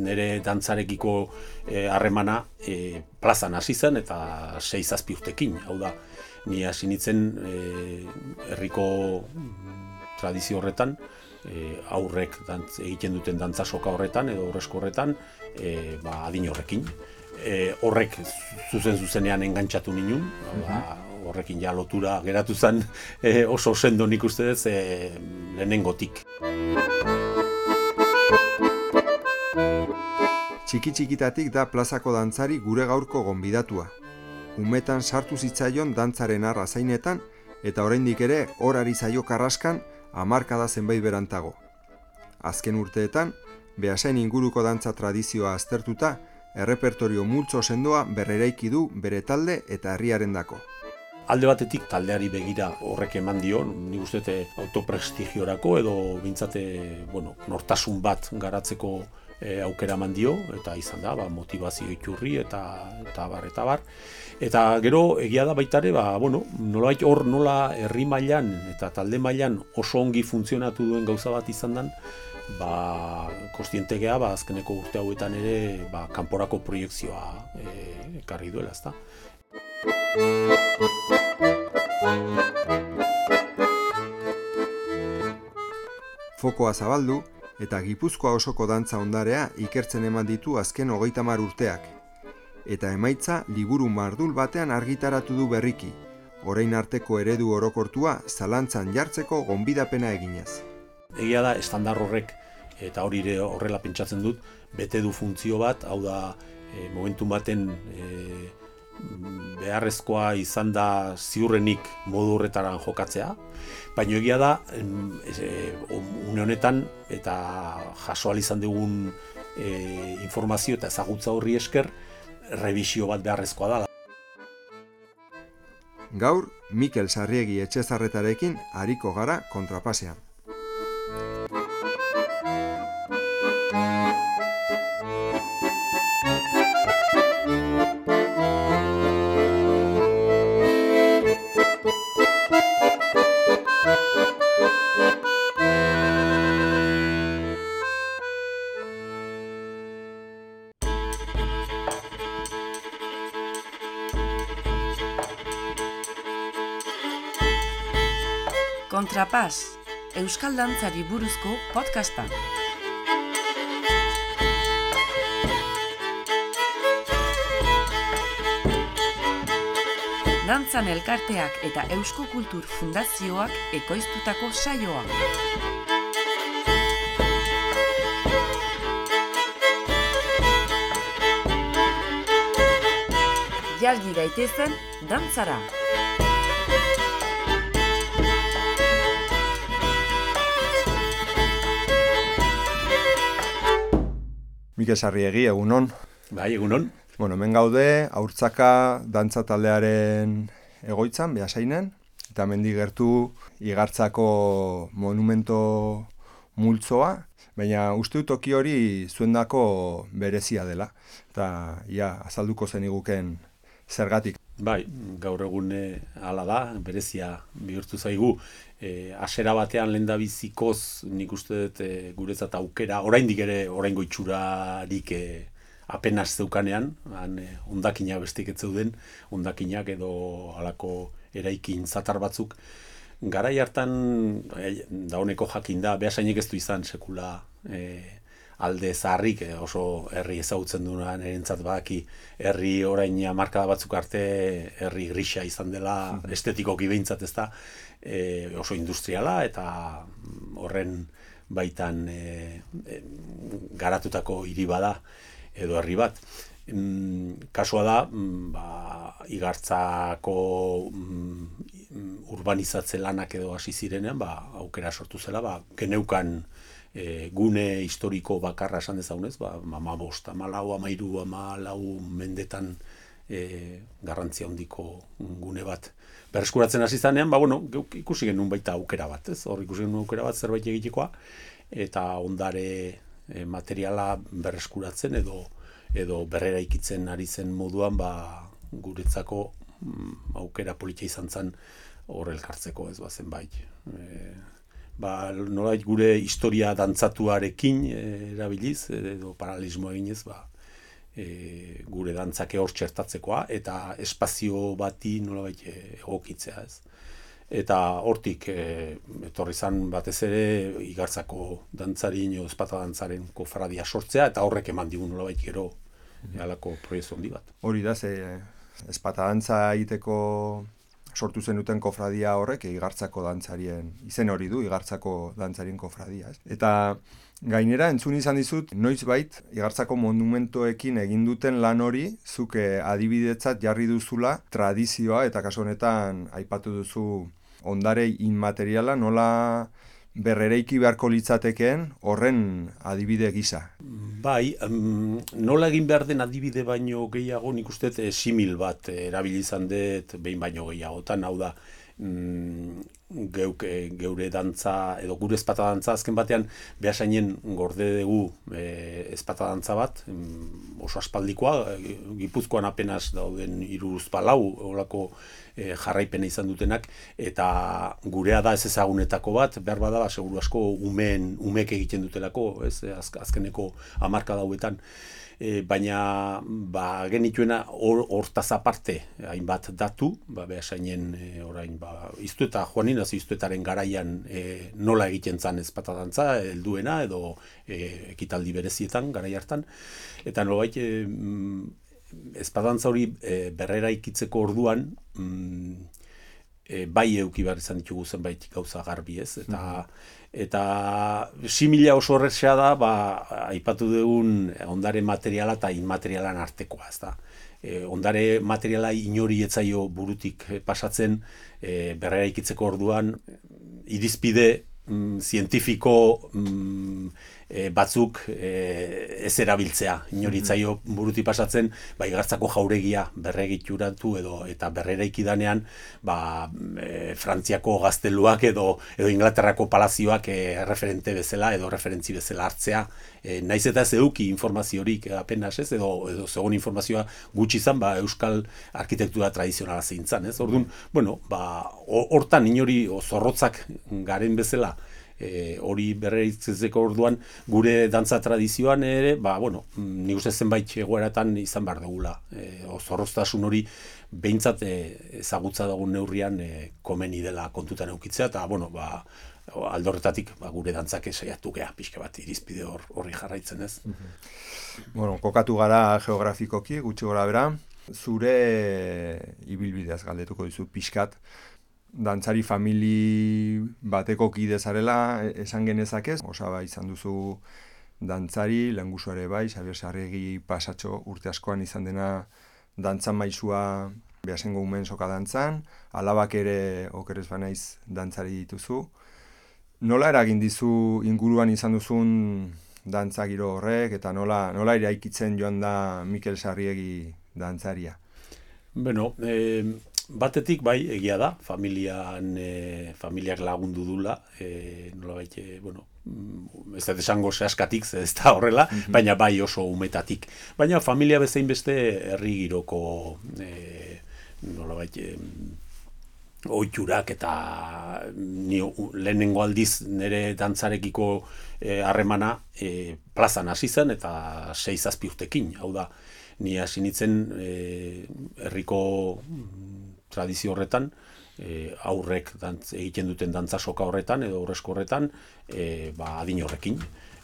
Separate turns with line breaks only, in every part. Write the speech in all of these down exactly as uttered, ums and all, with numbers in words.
nire dantzarekiko harremana e, plazan hasi zen eta sei zazpi urtekin, hau da, ni hasi nintzen e, herriko tradizio horretan, e, aurrek dantz, egiten duten dantza soka horretan edo horrezko horretan, e, ba, adin horrekin. E, horrek zuzen zuzenean engantzatu ninun, ba, horrekin ja lotura geratu zen e, oso sendo nik uste dut e, lehenengotik.
Txiki-txikitatik da plazako dantzari gure gaurko gonbidatua. Umetan sartu zitzaion dantzaren arrazainetan eta oraindik ere horari zaio karraskan hamarkada zenbait berantago. Azken urteetan, Beasain inguruko dantza tradizioa aztertuta, errepertorio multzo sendoa berreraiki du bere talde eta herriarendako.
Alde batetik taldeari begira horrek eman dio, nik uste dut autoprestigiorako edo bintzate, bueno, nortasun bat garatzeko e, aukera eman dio, eta izan da, ba, motivazio iturri eta eta bar eta bar. Eta gero egia da baita ere, ba, bueno, nolabait hor nola herri mailan eta talde mailan oso ongi funtzionatu duen gauza bat izan dan, ba, kostiente gea, ba, azkeneko urte hauetan ere, ba, kanporako proiekzioa e, ekarri duela, ezta.
Fokoa zabaldu eta Gipuzkoa osoko dantza ondarea ikertzen eman ditu azken hogeita hamar urteak. Eta emaitza liburu mardul batean argitaratu du berriki, orain arteko eredu orokortua zalantzan jartzeko gonbidapena eginez.
Egia da, estandar horrek, eta hori ere horrela pentsatzen dut, bete du funtzio bat, hau da, e, momentu baten e, beharrezkoa izan da ziurrenik modu horretaran jokatzea, baina egia da, e, une honetan, eta jaso ahal izan dugun e, informazio eta ezagutza horri esker, revisio bat beharrezkoa da.
Gaur, Mikel Sarriegi Etxezarretarekin ariko gara kontrapasean.
Kontrapas, euskal dantzari buruzko podcasta. Dantzan elkarteak eta Eusko Kultur Fundazioak ekoiztutako saioa. Jalgi daitezen dantzara.
Mikel Sarriegi, egunon.
Bai, egunon.
Bueno, hemen gaude, Haurtzaka dantza taldearen egoitzan, Beasainen, eta hemendik gertu Igartzako monumento multzoa, baina uste dut toki hori zuendako berezia dela, eta ia azalduko zeniguken zergatik.
Bai, gaur egun hala da, berezia bihurtu zaigu. E, asera batean lehendabizikoz nik uste dut e, guretzat aukera, oraindik ere oraingo itxurarik e, apenas zeukanean, han e, hondakinak bestik ez zeuden, hondakinak edo halako eraikin zatar batzuk. Garai hartan, e, dauneko jakin da, Beasainek ez du izan sekula e, alde zaharrik, e, oso herri ezagutzen duenan erentzat badaki, herri orain hamarkada batzuk arte herri grisa izan dela, estetikoki behintzat ez da, e, oso industriala eta horren baitan e, e, garatutako hiri bada edo herri bat. Mm, kasua da, mm, ba, Igartzako mm, urbanizatze lanak edo hasi zirenean, ba, aukera sortu zela, ba, geneukan e, gune historiko bakarra esan dezagunez, ba, hamabost, hamalau, hamairu, hamalau mendetan e, garrantzia handiko gune bat berreskuratzen hasi zanean, ba, bueno, ikusi genuen baita aukera bat, ez? Hor ikusi genuen aukera bat zerbait egitekoa, eta ondare e, materiala berreskuratzen edo edo berreraikitzen ari zen moduan, ba, guretzako mm, aukera politia izan zen hor elkartzeko, ez bazen bai. E, ba, nolait gure historia dantzatuarekin e, erabiliz, edo paralelismoa eginez, ba, e, gure dantzake hor txertatzekoa, eta espazio bati nolabait egokitzea, ez. Eta hortik e, etorri zan batez ere Igartzako dantzari edo ezpata dantzaren kofradia sortzea, eta horrek eman digun nolabait gero halako proiektu handi bat.
Hori da, ze ezpata dantza egiteko sortu zenuten kofradia horrek Igartzako dantzarien, izen hori du, Igartzako dantzarien kofradia. Ez? Eta gainera, entzun izan dizut, noizbait Igartzako monumentoekin egin duten lan hori, zuk adibidetzat jarri duzula tradizioa, eta kasu honetan aipatu duzu ondare inmateriala, nola berrereiki beharko litzatekeen horren adibide gisa.
Bai, um, nola egin behar den adibide baino gehiago, nik uste e, simil bat erabili izan dut behin baino gehiagotan, hau da, mm, geuk, e, geure dantza, edo gure ezpata dantza, azken batean, behasainen gorde dugu e, ezpata dantza bat, mm, oso aspaldikoa, e, Gipuzkoan apenas dauden hiruruz palau, horako e, jarraipena izan dutenak, eta gurea da ez ezagunetako bat, behar bada, seguru asko umeen, umek egiten dutelako, ez, az, azkeneko hamarka dauetan, e, baina ba, genituena hortaz or, aparte, hainbat datu, ba, behasainen e, orain, ba, iztueta, joanin, az iztuetaren garaian e, nola egiten zan ezpata dantza, helduena, edo e, ekitaldi berezietan, garai hartan, eta nolabait, e, ezpatantza hori e, berrera ikitzeko orduan, mm, e, bai euki behar izan ditugu zenbait gauza garbi, ez? Eta, mm-hmm. eta simila oso horrexea da, ba, aipatu dugun ondare materiala eta inmaterialan artekoa, ez da. E, ondare materiala inori etzaio burutik pasatzen, e, berrera ikitzeko orduan, irizpide mm, zientifiko mm, e, batzuk e, ez erabiltzea. Inoritzaio buruti pasatzen, ba, Igartzako jauregia berregituratu edo eta berreraiki danean, ba, e, Frantziako gazteluak edo, edo Inglaterrako palazioak e, referente bezala edo referentzi bezala hartzea. E, naiz eta ez eduki informaziorik apenas ez, edo, edo segon informazioa gutxi izan, ba, euskal arkitektura tradizionala zeintzan, ez? Orduan, bueno, ba, hortan inori zorrotzak garen bezala, E, hori berreitzeko orduan gure dantza tradizioan ere, ba, bueno, nik uste zenbait egoeratan izan behar dugula. E, zorroztasun hori behintzat e, ezagutza dugun neurrian e, komeni dela kontutan eukitzea, eta, bueno, ba, aldorretatik ba, gure dantzak saiatu gea, pixka bat irizpide hor, horri jarraitzen, ez?
Bueno, kokatu gara geografikoki, gutxi gora bera, zure ibilbideaz galdetuko dizu pixkat, dantzari famili bateko kide zarela esan genezakez, osaba izan duzu dantzari, lehengusu ere bai, Xabier Sarriegi pasatxo urte askoan izan dena dantzan maisua Beasaingo umen soka dantzan, alabak ere okerez banaiz dantzari dituzu. Nola eragin dizu inguruan izan duzun dantza giro horrek, eta nola, nola eraikitzen joan da Mikel Sarriegi dantzaria?
Bueno, eh... batetik bai egia da, familian, e, familiak lagundu dula, e, nolabait, e, bueno, ez da esango sehaskatik, ez da horrela, mm-hmm. baina bai oso umetatik. Baina familia bezain beste herri giroko e, nolabait, e, ohiturak eta ni, lehenengo aldiz nire dantzarekiko harremana e, plazan hasi zen eta sei zazpi urtekin, hau da, ni hasi nintzen e, herriko tradizio horretan, e, aurrek dantz, egiten duten dantza soka horretan edo aurrezko horretan, e, ba, adin horrekin.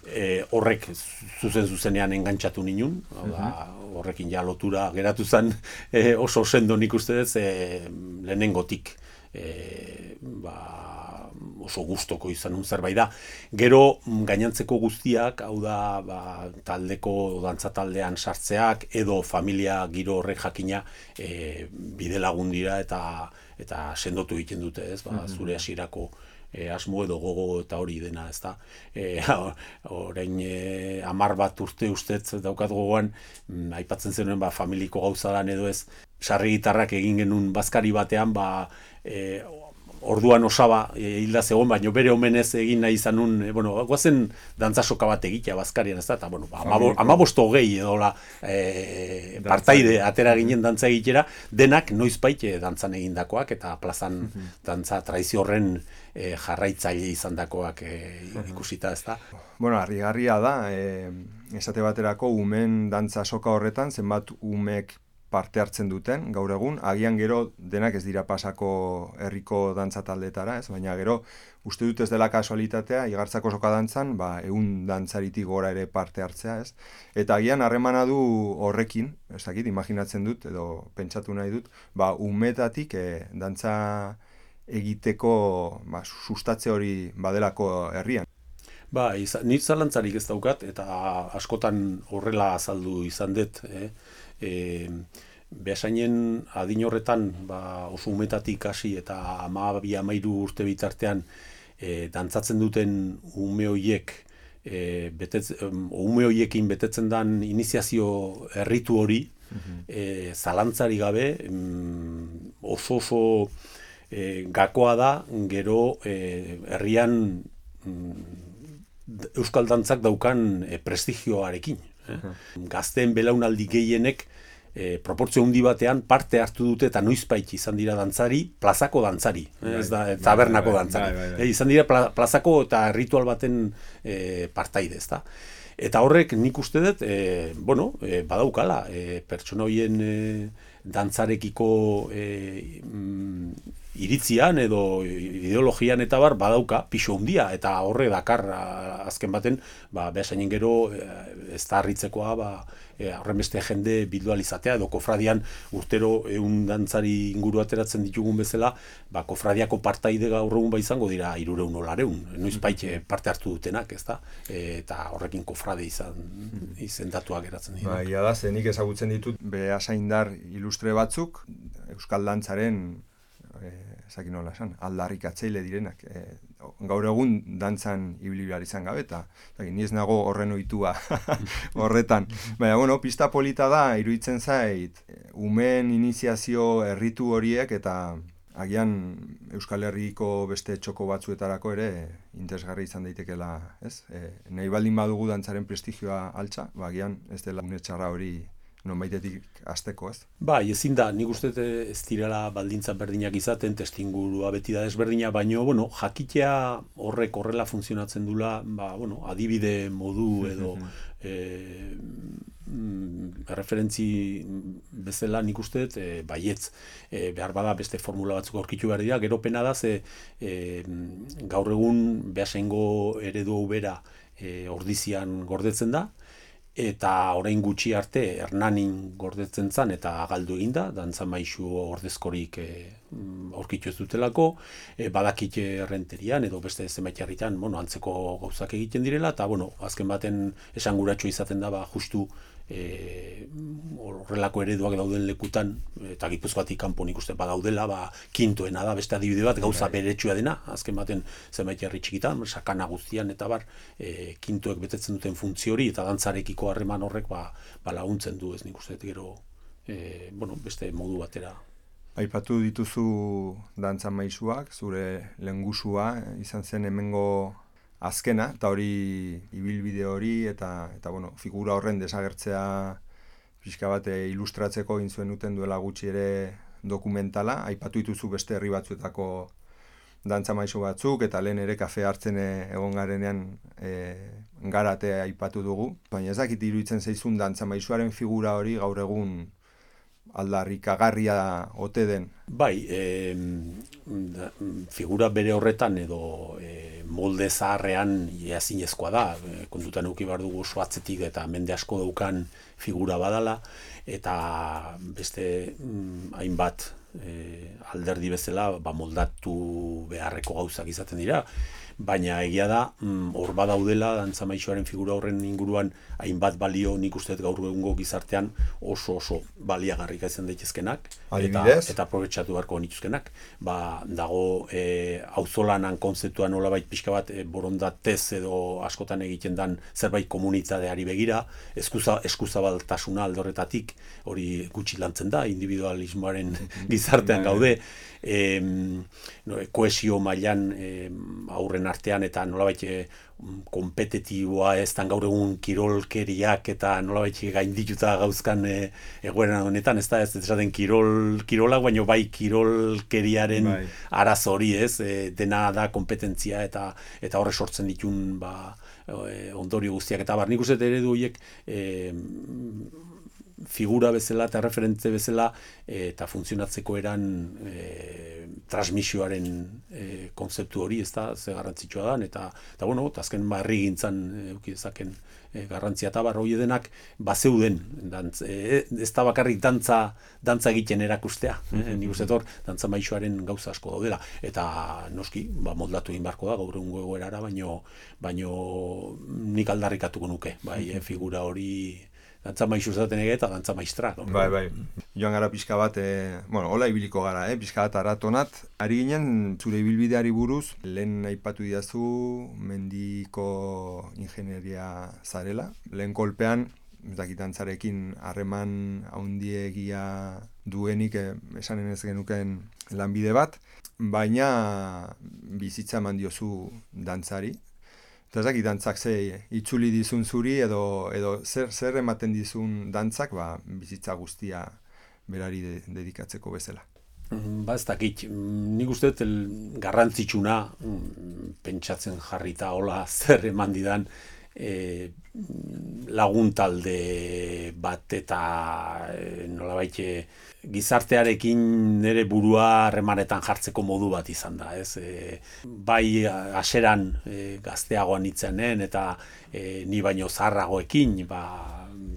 E, horrek zuzen zuzenean engantzatu ninun, da, horrekin ja lotura geratu zen e, oso sendo nik uste dut, e, lehenengotik e, ba, oso gustoko izan un zerbait da. Gero gainantzeko guztiak, hau da ba, taldeko dantza taldean sartzeak edo familia giro horrek jakina e, bide lagun dira eta eta sendotu egiten dute, ez? Ba, zure hasierako e, asmo edo gogo eta hori dena, ez da. E, orain e, hamar bat urte ustez daukat gogoan, m, aipatzen zenuen ba, familiko gauza dan edo ez, sarri gitarrak egin genuen bazkari batean, ba, e, orduan osaba e, hilda zegoen, baina bere omenez egin nahi izan nun, e, bueno, guazen dantzasoka bat egitea Bazkarian, ez da, eta, bueno, amabosto hogei edola e, partaide atera ginen dantza egitera, denak noizbait e, dantzan egindakoak, eta plazan dantza tradizio horren e, jarraitzaile izandakoak e, ikusita, ez da.
Bueno, harrigarria da, e, esate baterako umen dantza soka horretan, zenbat umek parte hartzen duten, gaur egun, agian gero denak ez dira pasako herriko dantza taldeetara, ez? Baina gero, uste dut ez dela kasualitatea, igartzako soka dantzan, ba, egun dantzaritik gora ere parte hartzea, ez? Eta agian harremana du horrekin, ez dakit, imaginatzen dut, edo pentsatu nahi dut, ba, umetatik e, dantza egiteko ba, sustatze hori badelako herrian.
Ba, izan, nik zalantzarik ez daukat, eta askotan horrela azaldu izan dut, eh? E, behasainen adin horretan ba, oso umetatik hasi eta hamabi hamairu urte bitartean e, dantzatzen duten ume hoiek e, betetz, um, ume hoiekin betetzen den iniziazio erritu hori mm-hmm. e, zalantzari gabe um, oso oso e, gakoa da gero e, herrian um, euskal dantzak daukan e, prestigioarekin. Uh-huh. Gazteen belaunaldi gehienek e, proportzio handi batean parte hartu dute eta noizbait izan dira dantzari, plazako dantzari, eh? Ez da tabernako dantzari. Bai, bai, bai. E, izan dira pla, plazako eta ritual baten e, partaide, ezta. Eta horrek nik uste dut, e, bueno, e, badaukala, e, pertsona horien e, dantzarekiko e, mm, iritzian edo ideologian eta bar badauka pisu handia eta horre dakar azken baten ba behasainen gero ez da harritzekoa ba horren beste jende bildualizatea edo kofradian urtero ehun dantzari inguru ateratzen ditugun bezala ba kofradiako partaide gaur egun ba izango dira hirurehun edo laurehun noizbait parte hartu dutenak, ezta? Eta horrekin kofrade izan izendatua geratzen dira.
Ba, ia da, zenik ezagutzen ditut behasaindar ilustre batzuk euskal dantzaren ezakin nola esan, aldarrikatzaile direnak. E, gaur egun dantzan ibili behar izan gabe, eta ni ez nago horren ohitua horretan. Baina, bueno, pista polita da, iruditzen zait, umeen iniziazio erritu horiek, eta agian Euskal Herriko beste txoko batzuetarako ere interesgarri izan daitekeela, ez? E, nahi baldin badugu dantzaren prestigioa altza, ba, agian ez dela unetxarra hori nonbaitetik hasteko, ez?
Bai, ezin da, nik uste ez direla baldintza berdinak izaten, testingurua beti da desberdina, baino, bueno, jakitea horrek horrela funtzionatzen dula, ba, bueno, adibide modu edo e, mm, referentzi bezala nik uste e, baietz, e, behar bada beste formula batzuk aurkitu behar dira, gero pena da, ze e, gaur egun behasaingo eredu bera e, ordizian gordetzen da, eta orain gutxi arte Hernanin gordetzen zan eta galdu eginda, dantza maisu ordezkorik e, aurkitu ez dutelako, e, badakit errenterian edo beste zenbait herritan, bueno, antzeko gauzak egiten direla, eta bueno, azken baten esanguratsu izaten da, ba, justu e, horrelako ereduak dauden lekutan, eta Gipuzkoatik kanpo nik uste badaudela, ba, kintoena da, beste adibide bat, gauza beretsua dena, azken baten zenbait herri txikitan, sakana guztian eta bar, e, kintoek betetzen duten funtzio hori, eta dantzarekiko harreman horrek ba, ba laguntzen du, ez nik uste gero, e, bueno, beste modu batera.
Aipatu dituzu dantza maisuak, zure lehengusua izan zen hemengo azkena, eta hori ibilbide hori, eta, eta bueno, figura horren desagertzea pixka bat ilustratzeko egin zuen uten duela gutxi ere dokumentala, aipatu dituzu beste herri batzuetako dantza maisu batzuk, eta lehen ere kafe hartzen egon garenean e, garatea aipatu dugu, baina ez dakit iruditzen zaizun dantza maisuaren figura hori gaur egun aldarrikagarria ote den.
Bai, e, figura bere horretan edo e, molde zaharrean ezinezkoa da, e, kontutan eduki behar dugu oso atzetik eta mende asko daukan figura badala, eta beste mm, hainbat e, alderdi bezala ba, moldatu beharreko gauzak izaten dira. baina egia da, hor badaudela dantza maisuaren figura horren inguruan hainbat balio nik uste gaur egungo gizartean oso oso baliagarrik izan daitezkenak eta eta aprobetxatu beharko nituzkenak. Ba, dago e, auzolanan kontzeptua nolabait pixka bat e, borondatez edo askotan egiten dan zerbait komunitateari begira, eskuza, eskuzabaltasuna alde horretatik, hori gutxi lantzen da, individualismoaren gizartean gaude, e, no, kohesio mailan e, aurren artean eta nolabait e, kompetitiboa ez dan gaur egun kirolkeriak eta nolabait gaindituta gauzkan e, egoera honetan, ez da ez esaten kirol, kirolak, baino bai kirolkeriaren bai. Arazo hori ez, e, dena da kompetentzia eta eta horre sortzen ditun ba, e, ondorio guztiak eta bar, nik uste eredu horiek e, figura bezala eta referente bezala e, eta funtzionatzeko eran e, transmisioaren e, konzeptu hori, ez da, ze garrantzitsua da, eta, eta bueno, eta azken barri gintzan euki dezaken e, garrantzia eta barro denak bazeuden, dantz, e, ez da bakarrik dantza, dantza egiten erakustea, e, nik uste hor, dantza maisuaren gauza asko daudela, eta noski, ba, moldatu egin beharko da, gaur egungo egoerara, baino, baino nik aldarrikatuko nuke, bai, e, figura hori dantza maizu zaten ege eta dantza maistra. No?
Bai, bai. Joan gara pixka bat, e, bueno, hola ibiliko gara, eh? Pixka bat aratonat. Ari ginen, zure ibilbideari buruz, lehen aipatu didazu mendiko ingenieria zarela. Lehen kolpean, ez dakit dantzarekin harreman haundiegia duenik, eh, esanen ez genuken lanbide bat, baina bizitza eman diozu dantzari. Eta ezakit dantzak ze itzuli dizun zuri edo, edo zer, zer ematen dizun dantzak ba, bizitza guztia berari de, dedikatzeko bezala.
Ba ez dakit, nik uste garrantzitsuna pentsatzen jarrita hola zer eman didan e, laguntalde bat eta e, nolabait gizartearekin nire burua harremanetan jartzeko modu bat izan da, ez? E, bai haseran e, gazteagoan itzenen eta e, ni baino zaharragoekin, ba,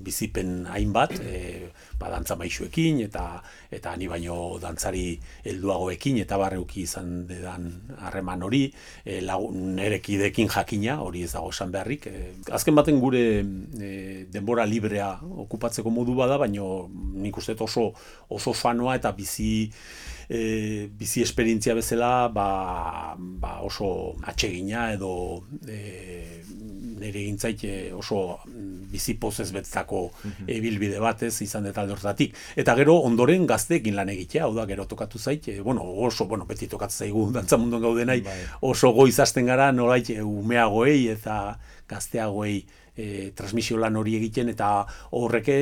bizipen hainbat, e, ba, dantza maisuekin eta eta ni baino dantzari helduagoekin eta barreuki izan dedan harreman hori, e, lagun nerekidekin jakina, hori ez dago esan beharrik. E, azken baten gure e, denbora librea okupatzeko modu bada, baino nik uste oso oso fanoa eta bizi e, bizi esperientzia bezala ba, ba oso atsegina edo e, nire gintzait oso bizi pozez betzako ibilbide batez izan deta alde horretatik. Eta gero ondoren gazteekin lan egitea, hau da gero tokatu zait, e, bueno, oso, bueno, beti tokatzen zaigu dantza munduan gaudenai, bai. Oso goiz hasten gara nolait umeagoei eta gazteagoei E, transmisio lan hori egiten eta horreke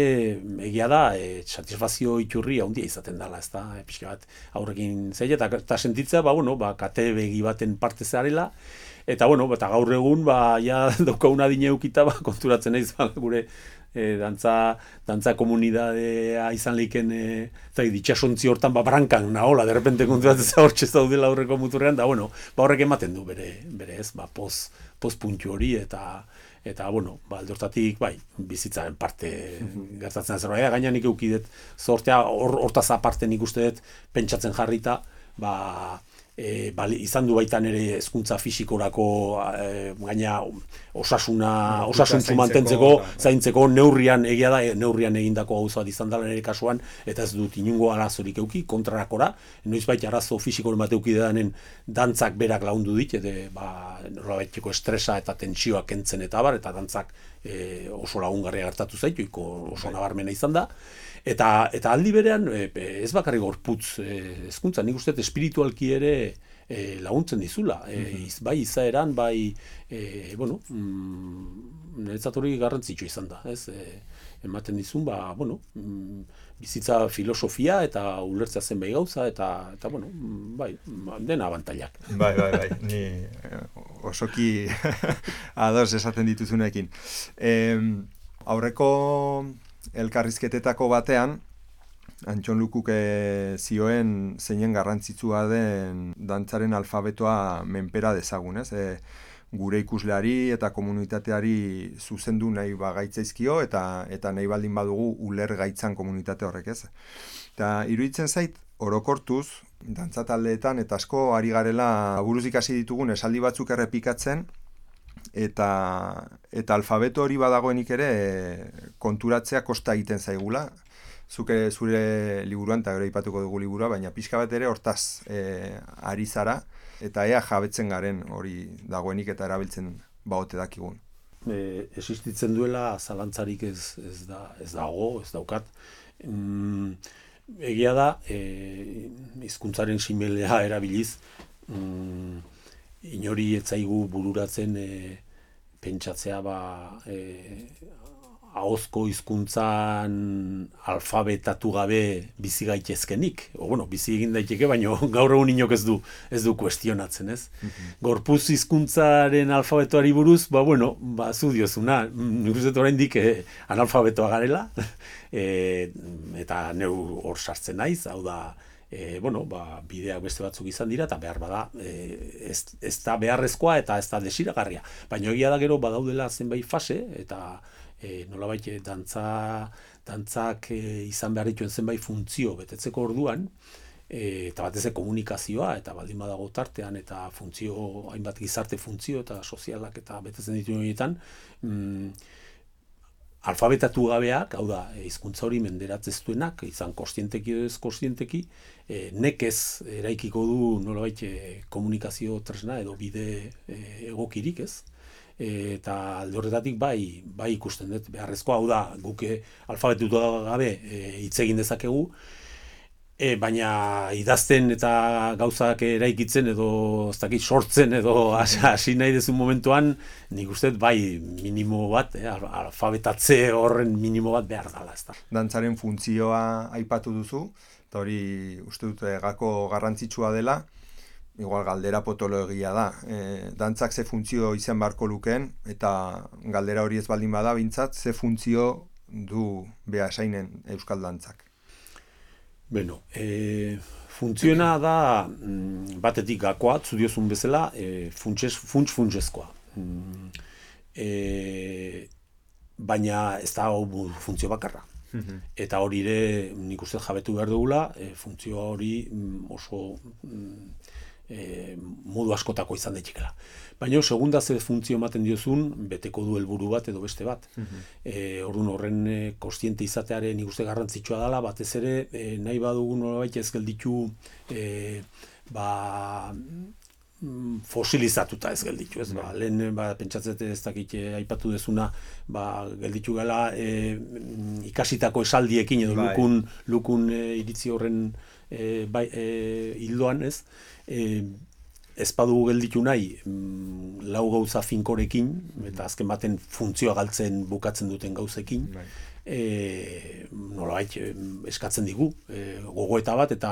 egia da e, satisfazio iturri handia izaten dela, ez da, e, pixka bat aurrekin zeia eta, eta sentitzea, ba, bueno, ba, kate begi baten parte zarela eta, bueno, eta gaur egun, ba, ja daukauna dine eukita, ba, konturatzen naiz, ba, gure e, dantza, dantza komunidadea izan leiken e, eta ditxasontzi hortan, ba, brankan nahola, derrepente konturatzen zaurtxe zaudela aurreko muturrean, da, bueno, ba, horrek ematen du bere, bere ez, ba, poz, poz puntu hori eta eta, bueno, ba, aldortatik, bai, bizitzaren parte gertatzen da zerbait, gaina nik eukidet zortea, hortaz aparte nik uste dut pentsatzen jarrita, ba, e, bali, izan du baitan ere hezkuntza fisikorako e, gaina osasuna, osasuntzu mantentzeko, zaintzeko neurrian egia da, neurrian egindako gauza bat izan dela nire kasuan, eta ez dut inungo arazorik euki, kontrarakora, noizbait arazo fisikoren bat euki dedanen dantzak berak lagundu dit, eta ba, norabaiteko estresa eta tentsioak kentzen eta bar, eta dantzak e, oso lagungarria gertatu zaitu, oso nabarmena izan da, eta, eta aldi berean, e, ez bakarrik gorputz hezkuntza, nik uste espiritualki ere e, laguntzen dizula, e, iz, bai izaeran, bai, e, bueno, mm, niretzat hori garrantzitsu izan da, ez, e, ematen dizun, ba, bueno, mm, bizitza filosofia eta ulertzea zen bai gauza, eta, eta bueno, bai, dena abantailak.
Bai, bai, bai, ni osoki ados esaten dituzunekin. E, aurreko elkarrizketetako batean, Antxon Lukuk zioen zeinen garrantzitsua den dantzaren alfabetoa menpera dezagun, ez? E, gure ikusleari eta komunitateari zuzendu nahi bagaitzaizkio eta eta nahi baldin badugu uler gaitzan komunitate horrek, ez? Eta iruditzen zait, orokortuz, dantza taldeetan eta asko ari garela buruz ikasi ditugun esaldi batzuk errepikatzen, eta eta alfabeto hori badagoenik ere konturatzea kosta egiten zaigula. Zuke zure liburuan, eta gero aipatuko dugu liburua, baina pixka bat ere hortaz e, ari zara, eta ea jabetzen garen hori dagoenik eta erabiltzen baote dakigun.
E, existitzen duela zalantzarik ez, ez, da, ez dago, ez daukat. Mm, egia da, e, hizkuntzaren simelea erabiliz, mm, inori ez zaigu bururatzen e, pentsatzea ba, e, ahozko hizkuntzan alfabetatu gabe bizi gaitezkenik. O, bueno, bizi egin daiteke, baina gaur egun inok ez du ez du kuestionatzen, ez? Mm-hmm. Gorpuz hizkuntzaren alfabetoari buruz, ba bueno, ba zu diozuna, nik uste dut oraindik eh, analfabetoa garela, e, eta neu hor sartzen naiz, hau da, E, bueno, ba, bideak beste batzuk izan dira, eta behar bada, e, ez, ez da beharrezkoa eta ez da desiragarria. Baina egia da gero badaudela zenbait fase, eta e, nolabait dantza, dantzak e, izan behar dituen zenbait funtzio betetzeko orduan, e, eta batez ere komunikazioa, eta baldin badago tartean, eta funtzio, hainbat gizarte funtzio eta sozialak eta betetzen dituen horietan, mm, alfabetatu gabeak, hau da, hizkuntza hori menderatzeztuenak, izan kostienteki edo ez kostienteki, e, nekez eraikiko du nolabait e, komunikazio tresna edo bide e, egokirik, ez? E, eta alde horretatik bai, bai ikusten dut beharrezkoa, hau da, guk alfabetatu gabe hitz egin dezakegu, E, baina idazten eta gauzak eraikitzen edo ez dakit sortzen edo hasi nahi dezun momentuan, nik uste bai minimo bat, eh, alfabetatze horren minimo bat behar dela. Ez da.
Dantzaren funtzioa aipatu duzu, eta hori uste dut gako garrantzitsua dela, igual galdera potoloegia da. E, dantzak ze funtzio izan beharko lukeen, eta galdera hori ez baldin bada, bintzat, ze funtzio du behasainen euskal dantzak.
Bueno, e, funtziona da mm, batetik gakoa, zudiozun bezala, e, funts-funtsezkoa. Mm, e, baina ez da hau funtzio bakarra. Mm-hmm. Eta hori ere nik uste jabetu behar dugula, e, funtzio hori mm, oso mm, e, modu askotako izan daitekela. Baina segunda ze funtzio ematen diozun, beteko du helburu bat edo beste bat. Mm-hmm. E, orduan horren e, kostiente izatearen nik uste garrantzitsua dela, batez ere e, nahi badugu nolabait ez gelditu e, ba, fosilizatuta ez gelditu, ez? Ba, lehen ba, pentsatzete ez dakit aipatu dezuna, ba, gelditu gala e, ikasitako esaldiekin edo bai. lukun, lukun e, iritzi horren e, bai, e, hildoan, ez? E, ez badugu gelditu nahi mm, lau gauza finkorekin, eta azken baten funtzioa galtzen bukatzen duten gauzekin, bai. E, nolabait eskatzen digu e, gogoeta bat eta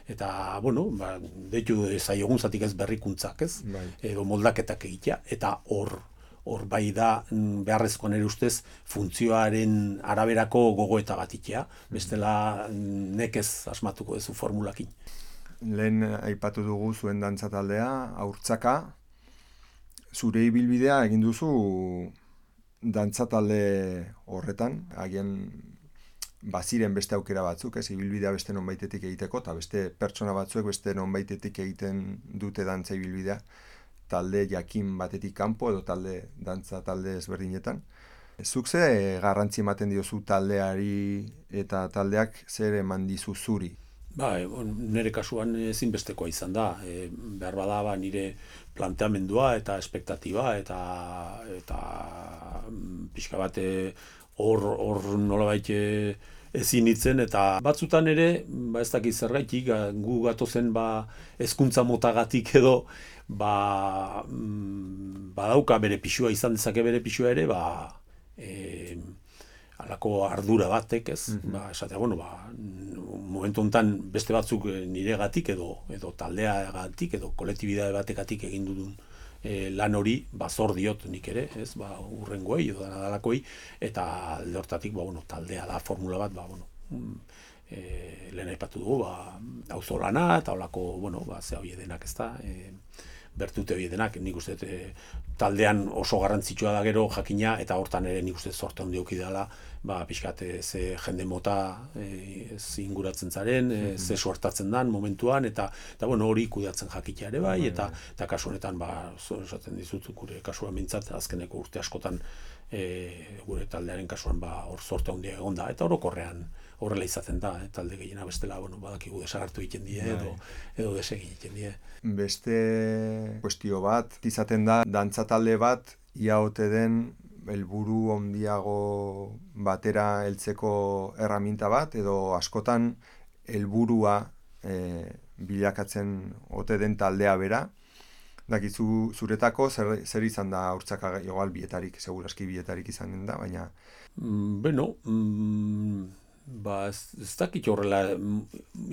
eta bueno, ba, deitu zaiogun zatik ez berrikuntzak, ez? Bai. Edo moldaketak egitea, eta hor hor bai da beharrezkoan ere ustez funtzioaren araberako gogoeta bat itea, bestela nekez asmatuko duzu formulakin.
Lehen aipatu dugu zuen dantza taldea, Haurtzaka, zure ibilbidea egin duzu dantza talde horretan, agian baziren beste aukera batzuk, ez, ibilbidea beste nonbaitetik egiteko, eta beste pertsona batzuek beste nonbaitetik egiten dute dantza ibilbidea, talde jakin batetik kanpo edo talde dantza talde ezberdinetan. Zuk ze garrantzi ematen diozu taldeari eta taldeak zer eman dizu zuri?
Ba, nire kasuan ezinbestekoa izan da. E, behar bada ba, nire planteamendua eta espektatiba eta eta pixka bat hor hor nolabait ezin hitzen, eta batzutan ere, ba ez dakit zergaitik, gu gatozen ba hezkuntza motagatik edo ba badauka bere pisua, izan dezake bere pisua ere, ba e, halako ardura batek, ez? Mm-hmm. Ba, esatea, bueno, ba, momentu honetan beste batzuk niregatik edo edo taldeagatik edo kolektibidade batekatik egin dudun e, lan hori, ba, zor diot nik ere, ez? Ba, urrengoei edo dalakoei, eta alde hortatik, ba, bueno, taldea da formula bat, ba, bueno, e, lehen aipatu dugu, ba, auzolana eta holako, bueno, ba, ze hori denak, ez da, e, bertute hori denak, nik uste e, taldean oso garrantzitsua da gero jakina, eta hortan ere nik uste zorte handi eduki dela ba, pixkat, e, ze jende mota e, inguratzen zaren, e, ze suertatzen dan momentuan, eta, eta bueno, hori kudeatzen jakitea ere bai, eta, eta kasu honetan, ba, esaten dizut, gure kasuan mintzat, azkeneko urte askotan, e, gure taldearen kasuan, ba, hor zorte handia egon da, eta orokorrean horrela izaten da, eh? Talde gehiena bestela, bueno, badakigu desagertu egiten die, edo, edo desegin egiten die.
Beste kuestio bat, izaten da, dantza talde bat, ia ote den, helburu handiago batera heltzeko erraminta bat, edo askotan helburua e, bilakatzen ote den taldea bera. Dakizu zuretako zer, zer izan da haurtzaka igual bietarik, seguraski bietarik izan da, baina...
Mm, bueno, mm, ba, ez, ez dakit horrela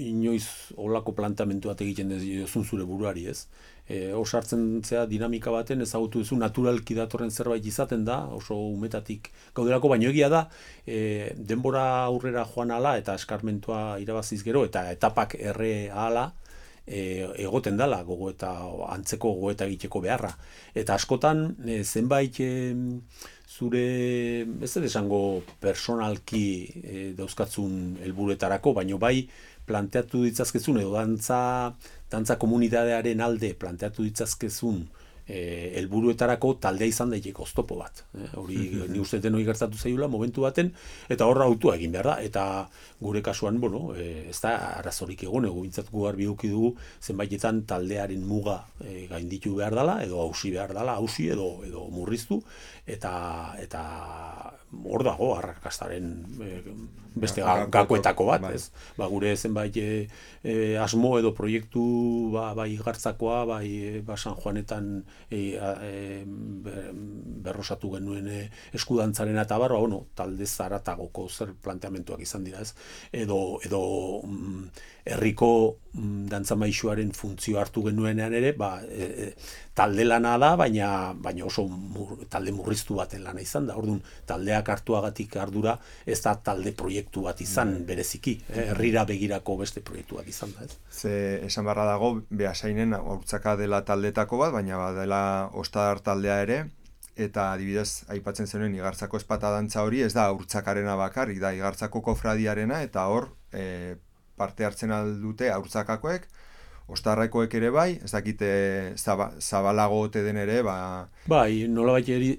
inoiz olako plantamentu bat egiten dezun zure buruari, ez? E, osartzen zea dinamika baten ezagutu duzu naturalki datorren zerbait izaten da, oso umetatik gaudelako, baino egia da, e, denbora aurrera joan ala eta eskarmentua irabaziz gero, eta etapak erre ala, e, egoten dala gogo eta antzeko gogo eta egiteko beharra. Eta askotan, e, zenbait e, zure, ez dut esango personalki e, dauzkatzun helburuetarako, baino bai planteatu ditzazkezun edo dantza, dantza komunitatearen alde planteatu ditzazkezun e, helburuetarako taldea izan daiteke oztopo bat. E, hori ni uste den hori gertatu zaiola momentu baten, eta horra autua egin behar da. Eta gure kasuan, bueno, e, ez da arazorik egon, ego bintzatuko garbi eduki dugu zenbaitetan taldearen muga e, gainditu behar dela, edo hausi behar dela, hausi edo, edo murriztu, eta eta hor dago arrakastaren e, beste ga, gakoetako bat, ez? Ba, gure zenbait e, e, asmo edo proiektu ba, bai gartzakoa, bai e, ba, San Juanetan e, e, berrosatu genuen e, eskudantzaren eta barba, bueno, talde zaratagoko zer planteamentuak izan dira, ez? Edo, edo mm, herriko mm, dantzamaixuaren funtzio hartu genuenean ere, ba, e, e, talde lana da, baina, baina oso mur, talde murriztu baten lana izan da. Orduan, taldeak hartuagatik ardura ez da talde proiektu bat izan bereziki, eh? Herrira begirako beste proiektu bat izan da. Ez?
Ze esan barra dago, Beasainen haurtzaka dela taldetako bat, baina badela Ostadar taldea ere, eta adibidez aipatzen zenuen Igartzako espata dantza hori ez da haurtzakarena bakarrik, da Igartzako kofradiarena, eta hor e, parte hartzen aldute haurtzakakoek, Ostarrakoek ere bai, ez dakite zaba, zabalago ote den ere, ba...
Bai, nolabait eri,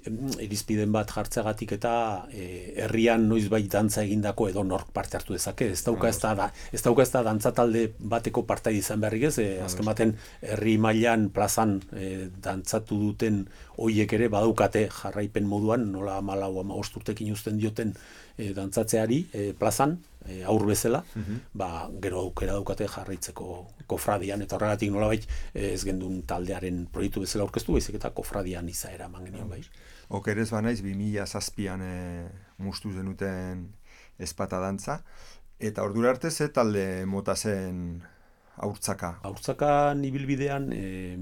irizpiden bat jartzeagatik eta e, herrian noizbait dantza egindako edo nork parte hartu dezake. Ez dauka ez da, ez dauka ez da dantza talde bateko partai izan beharrik ez, e, azken baten herri mailan plazan e, dantzatu duten hoiek ere badaukate jarraipen moduan, nola hamalau hamabost urtekin uzten dioten e, dantzatzeari e, plazan, e, aur bezala, uh-huh. ba, gero aukera daukate jarraitzeko kofradian, eta horregatik nolabait ez gendun taldearen proiektu bezala aurkeztu, baizik eta kofradian izaera eman genion bai.
Okerez banaiz, bi mila zazpian e, mustu zenuten espata dantza, eta ordura arte ze talde mota zen haurtzaka?
Haurtzaka ibilbidean, e,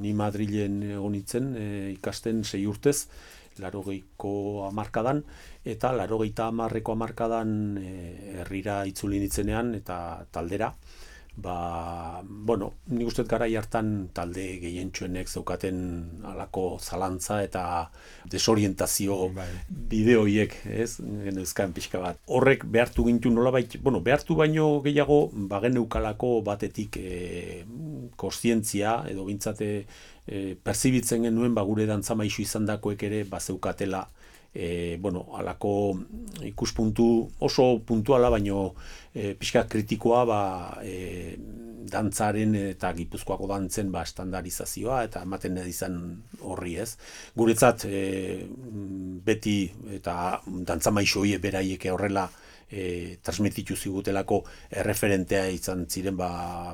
ni Madrilen egon nintzen, e, ikasten sei urtez, larogeiko hamarkadan, eta larogeita hamarreko hamarkadan e, herrira itzuli nitzenean eta taldera. Ba, bueno, nik uste garai hartan talde gehientsuenek zeukaten halako zalantza eta desorientazio bideoiek, ez? Genezkan pixka bat. Horrek behartu gintu nolabait, bueno, behartu baino gehiago bageneukalako batetik e, kontzientzia edo bintzate e, perzibitzen genuen ba gure dantzamaixu izandakoek ere bazeukatela E, bueno, alako ikuspuntu oso puntuala, baino e, pixka kritikoa ba, e, dantzaren eta Gipuzkoako dantzen ba, estandarizazioa eta ematen nahi izan horri ez. Guretzat e, beti eta dantzamaixo horiek beraiek horrela e, transmititu zigutelako erreferentea izan ziren ba,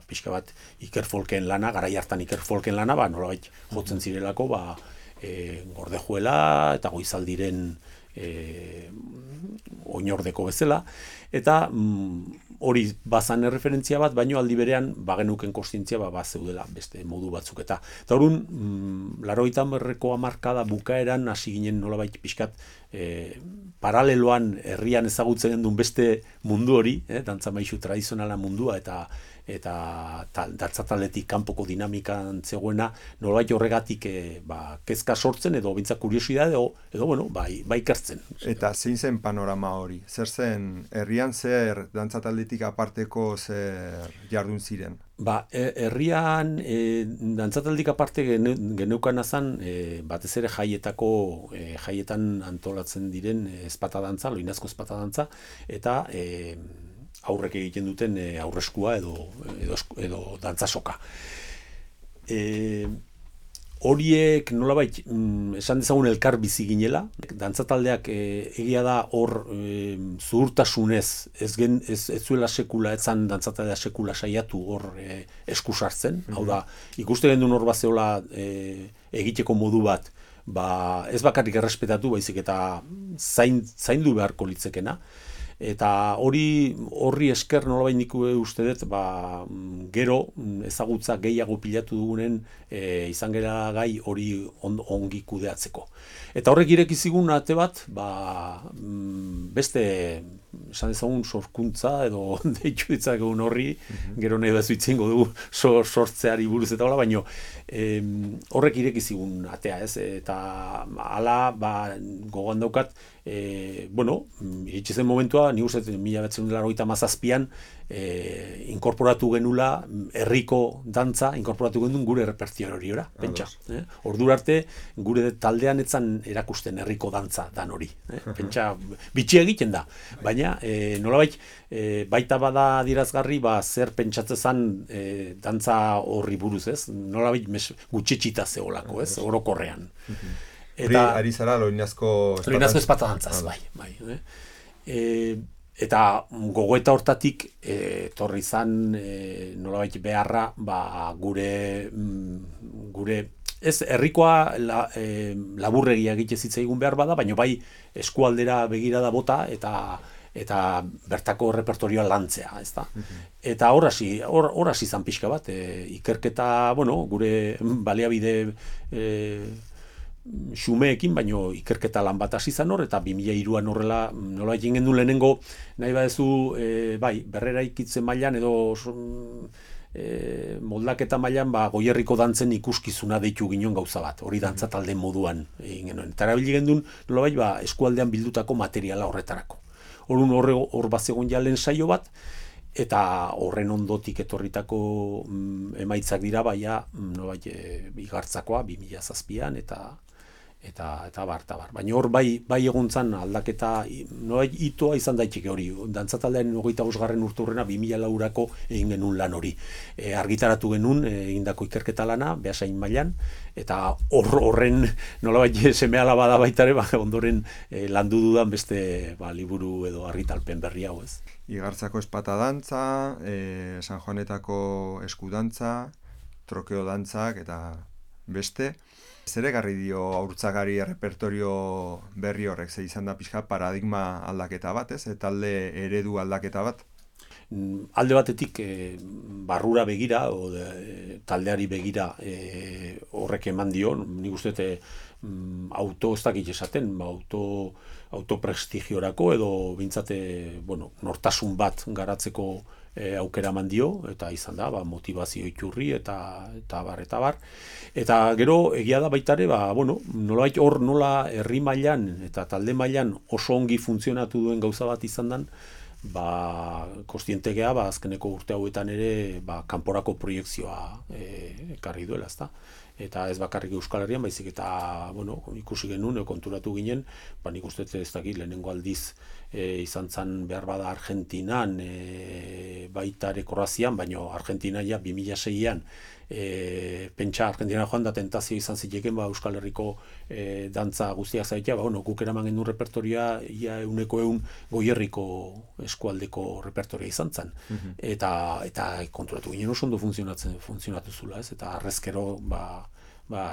pixka bat Iker Folken lana, garai hartan Iker Folken lana, ba, nolabait jotzen zirelako, ba, E, gordejuela eta goizaldiren e, oinordeko bezala, eta mm, hori bazan erreferentzia bat, baino aldi berean bagenuken kontzientzia ba, bazeudela beste modu batzuk eta. Eta horun, mm, larogeita hamarreko hamarkada bukaeran hasi ginen nolabait pixkat e, paraleloan herrian ezagutzen duen beste mundu hori, eh, dantzamaixu tradizionala mundua eta eta dantzataldetik kanpoko dinamikan zegoena, nolabait horregatik e, ba, kezka sortzen edo bintzak kuriosidade edo, edo bueno, bai, bai ikertzen.
Eta zein zen panorama hori? Zer zen, herrian zer dantzataldetik aparteko zer jardun ziren?
Ba, herrian e, dantzataldik aparte geneukan azan, e, batez ere jaietako, e, jaietan antolatzen diren e, ezpata dantza, loinazko ezpata dantza, eta e, aurrek egiten duten e, aurreskua edo, edo, edo dantzasoka. E, horiek nolabait mm, esan dezagun elkar bizi ginela, dantzataldeak e, egia da hor e, zuhurtasunez ez, gen, ez, ez zuela sekula, etzan dantzataldea sekula saiatu hor e, esku sartzen, mm-hmm. Hau da, ikuste gendun hor bazeola e, egiteko modu bat, ba, ez bakarrik errespetatu, baizik eta zain, zaindu beharko litzekena. Eta hori horri esker nolabait nik uste dut, ba, gero ezagutza gehiago pilatu dugunen e, izan gera gai hori on, ongi kudeatzeko. Eta horrek ireki zigun ate bat, ba, beste esan ezagun sorkuntza edo deitu ditzakegun horri, mm-hmm. Gero nahi bezu itzingo dugu sor, sortzeari buruz eta hola, baino e, horrek ireki zigun atea, ez? Eta hala, ba, gogoan daukat, e, bueno, iritsi zen momentua, ni uste mila bederatziehun eta laurogeita hamazazpian e, inkorporatu genula herriko dantza, inkorporatu genuen gure repertoriora, pentsa. Eh? Ordura arte, gure taldean etzan erakusten herriko dantza dan hori. Eh? Pentsa, bitxi egiten da. Baina, e, nolabait, e, baita bada adierazgarri, ba, zer pentsatzezan e, dantza horri buruz, ez? Nolabait gutxetxita zeolako, ez? Orokorrean.
Eta ari zara loinazko
loinazko ezpata dantzaz, bai, bai. Eh? E, eta gogoeta hortatik e, torri izan e, nolabait beharra, ba, gure gure ez herrikoa la, e, laburregia egite zitzaigun behar bada, baina bai eskualdera begirada bota eta eta bertako repertorioa lantzea, ezta. Mm-hmm. Eta hor hasi, hor hor hasi izan pixka bat, e, ikerketa, bueno, gure baliabide e, xumeekin, baino ikerketa lan bat hasi izan hor, eta bi mila hiruan horrela nola egin gendu lehenengo, nahi badezu, e, bai, berrera ikitzen mailan edo e, moldaketa mailan, ba, Goierriko dantzen ikuskizuna deitu ginen gauza bat, hori dantza talde moduan egin genuen. Eta erabili gendun, nola bai, ba, eskualdean bildutako materiala horretarako. Horun horre hor bazegon ja lehen saio bat, eta horren ondotik etorritako mm, emaitzak dira, baina mm, no, bai, e, igartzakoa bi mila zazpian, eta eta eta bar, eta bar. Baina hor bai, bai egontzan aldaketa, no, bai, itoa izan daiteke hori, dantzataldean hogeita bosgarren urturrena bi mila laurako egin genuen lan hori. E, argitaratu genuen e, egindako ikerketa lana, Beasain mailan, eta hor, horren nolabait seme alaba da baita ere, ba, ondoren e, landu dudan beste ba, liburu edo argitalpen berri hau, ez.
Igartzako espata dantza, e, San Juanetako eskudantza, trokeo dantzak eta beste. Zer egarri dio haurtzagari repertorio berri horrek, ze izan da pixka paradigma aldaketa bat, ez? Talde eredu aldaketa bat?
Alde batetik e, barrura begira, o de, taldeari begira e, horrek eman dio, nik uste e, auto ez dakit esaten, auto, autoprestigiorako edo bintzate, bueno, nortasun bat garatzeko e, aukera eman dio, eta izan da, ba, motivazio iturri eta, eta bar, eta bar. Eta gero egia da baitare, ba, bueno, nolabait hor nola herri mailan eta talde mailan oso ongi funtzionatu duen gauza bat izan dan, ba, kostientegea, ba, azkeneko urte hauetan ere, ba, kanporako proiekzioa e, ekarri duela, ezta. Eta ez bakarrik Euskal Herrian, baizik eta, bueno, ikusi genuen, konturatu ginen, ba, nik uste ez dakit, lehenengo aldiz e, izan zan behar bada Argentinan, e, baita ere Kroazian, baino Argentina ja bi mila seian, E, pentsa Argentina joan da tentazio izan ziteken ba, Euskal Herriko e, dantza guztiak zaitea, ba, bueno, guk eraman genuen repertoria ia euneko eun Goierriko eskualdeko repertoria izan zen. Mm-hmm. eta, eta konturatu ginen oso ondo funtzionatzen funtzionatu zula, ez? Eta arrezkero ba, ba,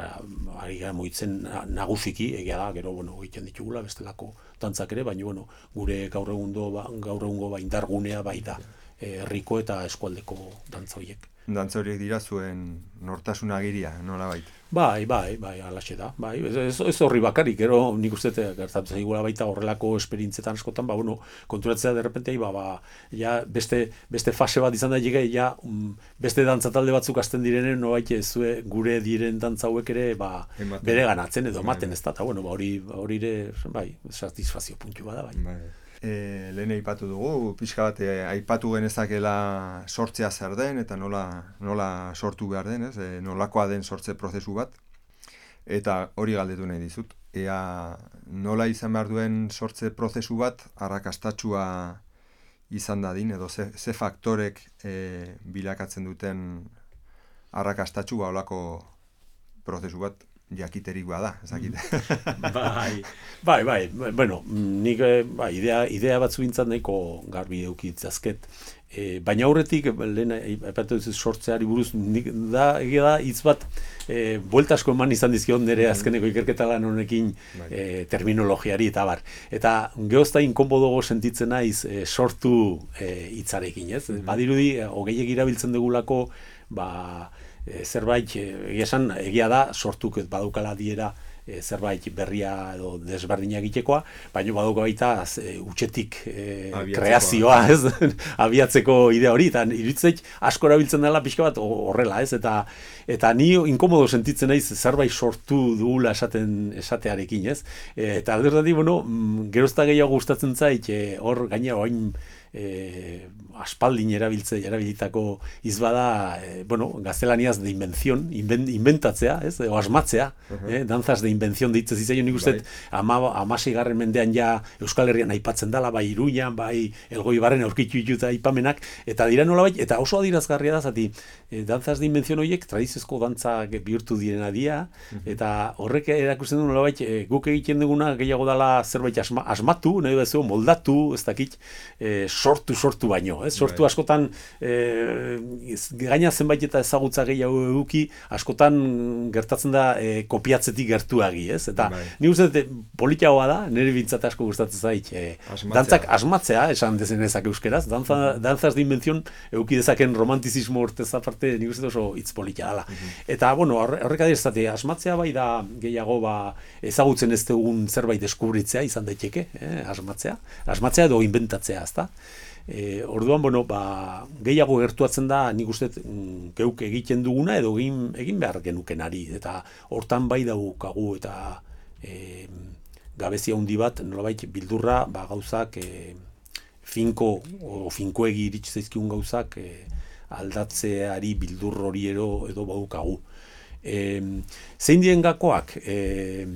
ari gara moitzen nagusiki, egia da, gero bueno, egiten ditugula bestelako dantzak ere, baina bueno, gure gaur egundo ba, gaur egungo ba, indargunea bai da herriko eta eskualdeko dantza horiek.
Dantza horiek dira zuen nortasun agiria, nola baita?
Bai, bai, bai, alaxe da. Bai, ez, ez horri bakarrik, gero nik uste gertatzen zaigula baita horrelako esperientzetan askotan, ba, bueno, konturatzea derrepente, ba, ba, ja, beste, beste fase bat izan daiteke, ja, um, beste dantza talde batzuk hasten direnen, no baita zue gure diren dantza hauek ere, ba, ematen. Bere ganatzen edo ematen ez da, eta, bueno, ba, hori, hori ere, bai, satisfazio puntu bada, bai.
Bai. E, lehen aipatu dugu, pixka bat e, aipatu genezakela sortzea zer den eta nola, nola sortu behar den, ez? E, nolakoa den sortze prozesu bat, eta hori galdetu nahi dizut. Ea nola izan behar duen sortze prozesu bat arrakastatsua izan dadin, edo ze, ze faktorek e, bilakatzen duten arrakastatsu ba olako prozesu bat jakiterik bada, ezakite.
bai, bai, bai, bueno, nik bai, idea, idea batzu bintzat nahiko garbi eukitzazket. E, baina aurretik, lehen aipatu duzu sortzeari buruz, nik da, egia da, hitz bat, e, buelta asko eman izan dizkion nire azkeneko ikerketa lan honekin e, terminologiari eta bar. Eta geozta inkonbodogo sentitzen naiz e, sortu e, hitzarekin, ez? Mm-hmm. Badirudi, hogeiek irabiltzen dugulako, ba, E, zerbait, egia esan, egia da, sortuk badaukala diera e, zerbait berria edo desberdina egitekoa, baina badauka baita e, utxetik e, kreazioa, ez? Abiatzeko idea hori, eta iritzeit asko erabiltzen dela pixka bat horrela, ez? Eta, eta ni inkomodo sentitzen naiz zerbait sortu dugula esaten esatearekin, ez? E, eta alderdi, bueno, gerozta gehiago gustatzen zait, e, hor gaina oain E, aspaldin erabiltze erabilitako izbada, e, bueno, gaztelaniaz de invención, inven, inventatzea, ez, o asmatzea, uh-huh. eh, danzas de invención deitzen zitzaion, nik uste, ama, amaseigarren mendean ja Euskal Herrian aipatzen dela, bai Iruñan, bai Elgoibarren aurkitu dituta aipamenak, eta dira nolabait, eta oso adirazgarria da, zati, e, danzas de invención horiek tradiziozko dantzak bihurtu direna dira, uh-huh. eta horrek erakusten du nolabait, e, guk egiten duguna gehiago dela zerbait asma, asmatu, nahi bezu, moldatu, ez dakit, e, sortu sortu baino, ez? Sortu right. askotan e, gaina zenbait eta ezagutza gehiago eduki, askotan gertatzen da e, kopiatzetik gertuagi, ez? Eta right. ni uste politagoa da, nire bintzat asko gustatzen zait, e, dantzak asmatzea, esan dezenezak euskeraz, danza, uh-huh. danzas de invención eduki dezaken romantizismo urtez aparte, nik uste oso hitz polita dela. Uh-huh. Eta, bueno, horrek adierzate, asmatzea bai da gehiago ba, ezagutzen ez dugun zerbait deskubritzea izan daiteke, eh? asmatzea, asmatzea edo inventatzea, ezta? E, orduan, bueno, ba, gehiago gertuatzen da, nik uste mm, geuk egiten duguna edo egin, egin behar genukenari, eta hortan bai daukagu eta e, gabezia handi bat, nolabait bildurra, ba, gauzak e, finko o finkoegi iritsi zaizkigun gauzak e, aldatzeari bildur hori ero, edo badukagu. E, zein dien gakoak, e,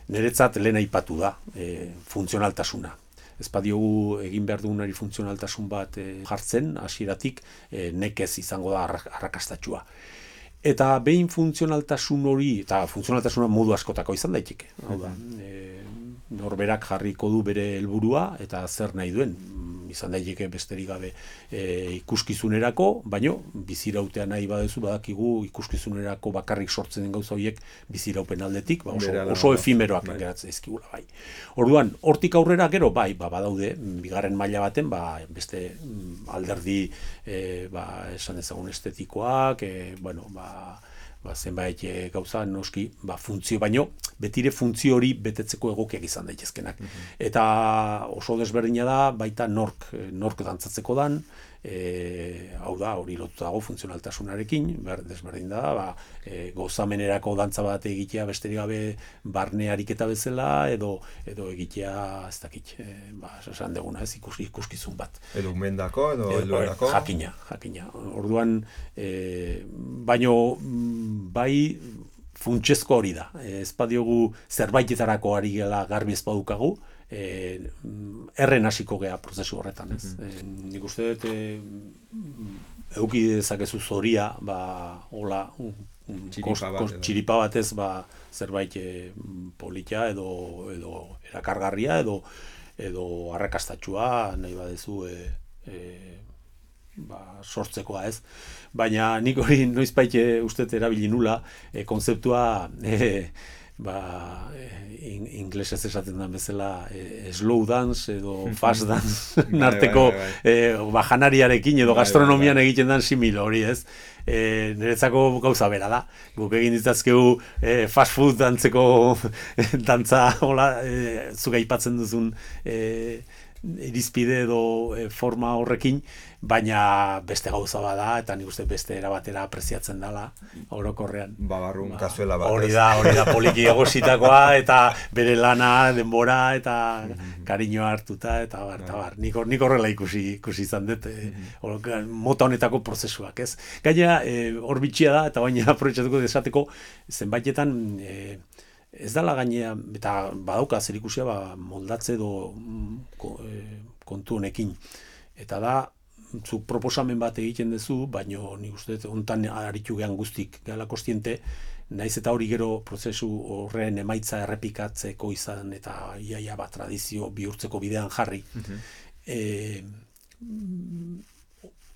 niretzat lehen aipatu da, e, funtzionaltasuna. Ez badiogu egin behar dugunari funtzionaltasun bat e, jartzen, hasieratik e, nekez izango da arrakastatsua. Eta behin funtzionaltasun hori, eta funtzionaltasuna modu askotako izan daiteke. Hau da, e, norberak jarriko du bere helburua eta zer nahi duen. Izan daiteke besterik gabe e, ikuskizunerako, baino bizirautea nahi baduzu badakigu ikuskizunerako bakarrik sortzen den gauza horiek biziraupen aldetik, ba, oso, oso efimeroak bai. Geratzen ezkigula bai. Orduan, hortik aurrera gero bai, ba, badaude bigarren maila baten, ba, beste alderdi e, ba, esan ezagun estetikoak, e, bueno, ba, ba, zenbait e, gauza noski ba, funtzio, baino betire funtzio hori betetzeko egokiak izan daitezkenak. Mm-hmm. Eta oso desberdina da, baita nork, nork dantzatzeko dan, e, hau da, hori lotu dago funtzionaltasunarekin, ber, desberdin da, ba, e, gozamenerako dantza bat egitea besterik gabe barne ariketa bezala, edo, edo egitea, ez dakit, e, ba, esan deguna, ez ikus, ikuskizun bat.
Edo umendako, edo helduerako?
Jakina, jakina. Orduan, e, baino, bai, funtsezko hori da. Ez badiogu zerbaitetarako ari gela garbi ez badukagu, e, erren hasiko gea prozesu horretan, ez. Mm-hmm. E, nik uste dut, e, eduki dezakezu zoria, ba, hola, txiripa, bat, txiripa batez, ba, zerbait e, polita edo, edo erakargarria, edo, edo arrakastatxua, nahi badezu, e, e, ba, sortzekoa ez. Baina nik hori noizbait uste erabili nula e, konzeptua e, ba, in, inglesez esaten den bezala e, slow dance edo fast dance narteko bai, bai, bai. E, ba, janariarekin edo gastronomian bai, bai, bai. egiten den simil hori, ez? E, niretzako gauza bera da. Guk egin ditzazkegu e, fast food dantzeko dantza, hola, e, zuga aipatzen duzun e, irizpide edo e, forma horrekin, baina beste gauza bada, eta nik uste beste erabatera apreziatzen dela orokorrean.
Babarrun ba, kazuela bat.
Hori da, hori da poliki egositakoa, eta bere lana, denbora, eta kariñoa hartuta, eta bar, eta bar. Nik, nik horrela ikusi, ikusi izan dut, e, mota honetako prozesuak, ez? Gainera, e, hor bitxia da, eta baina aprobetxatuko desateko, zenbaitetan, e, ez dala gainea, eta badauka zer ikusia, ba, moldatze edo kontu honekin. Eta da, zuk proposamen bat egiten duzu, baino nik uste hontan aritu gehan guztik gala kostiente, naiz eta hori gero prozesu horren emaitza errepikatzeko izan eta iaia bat tradizio bihurtzeko bidean jarri. Uh-huh. e,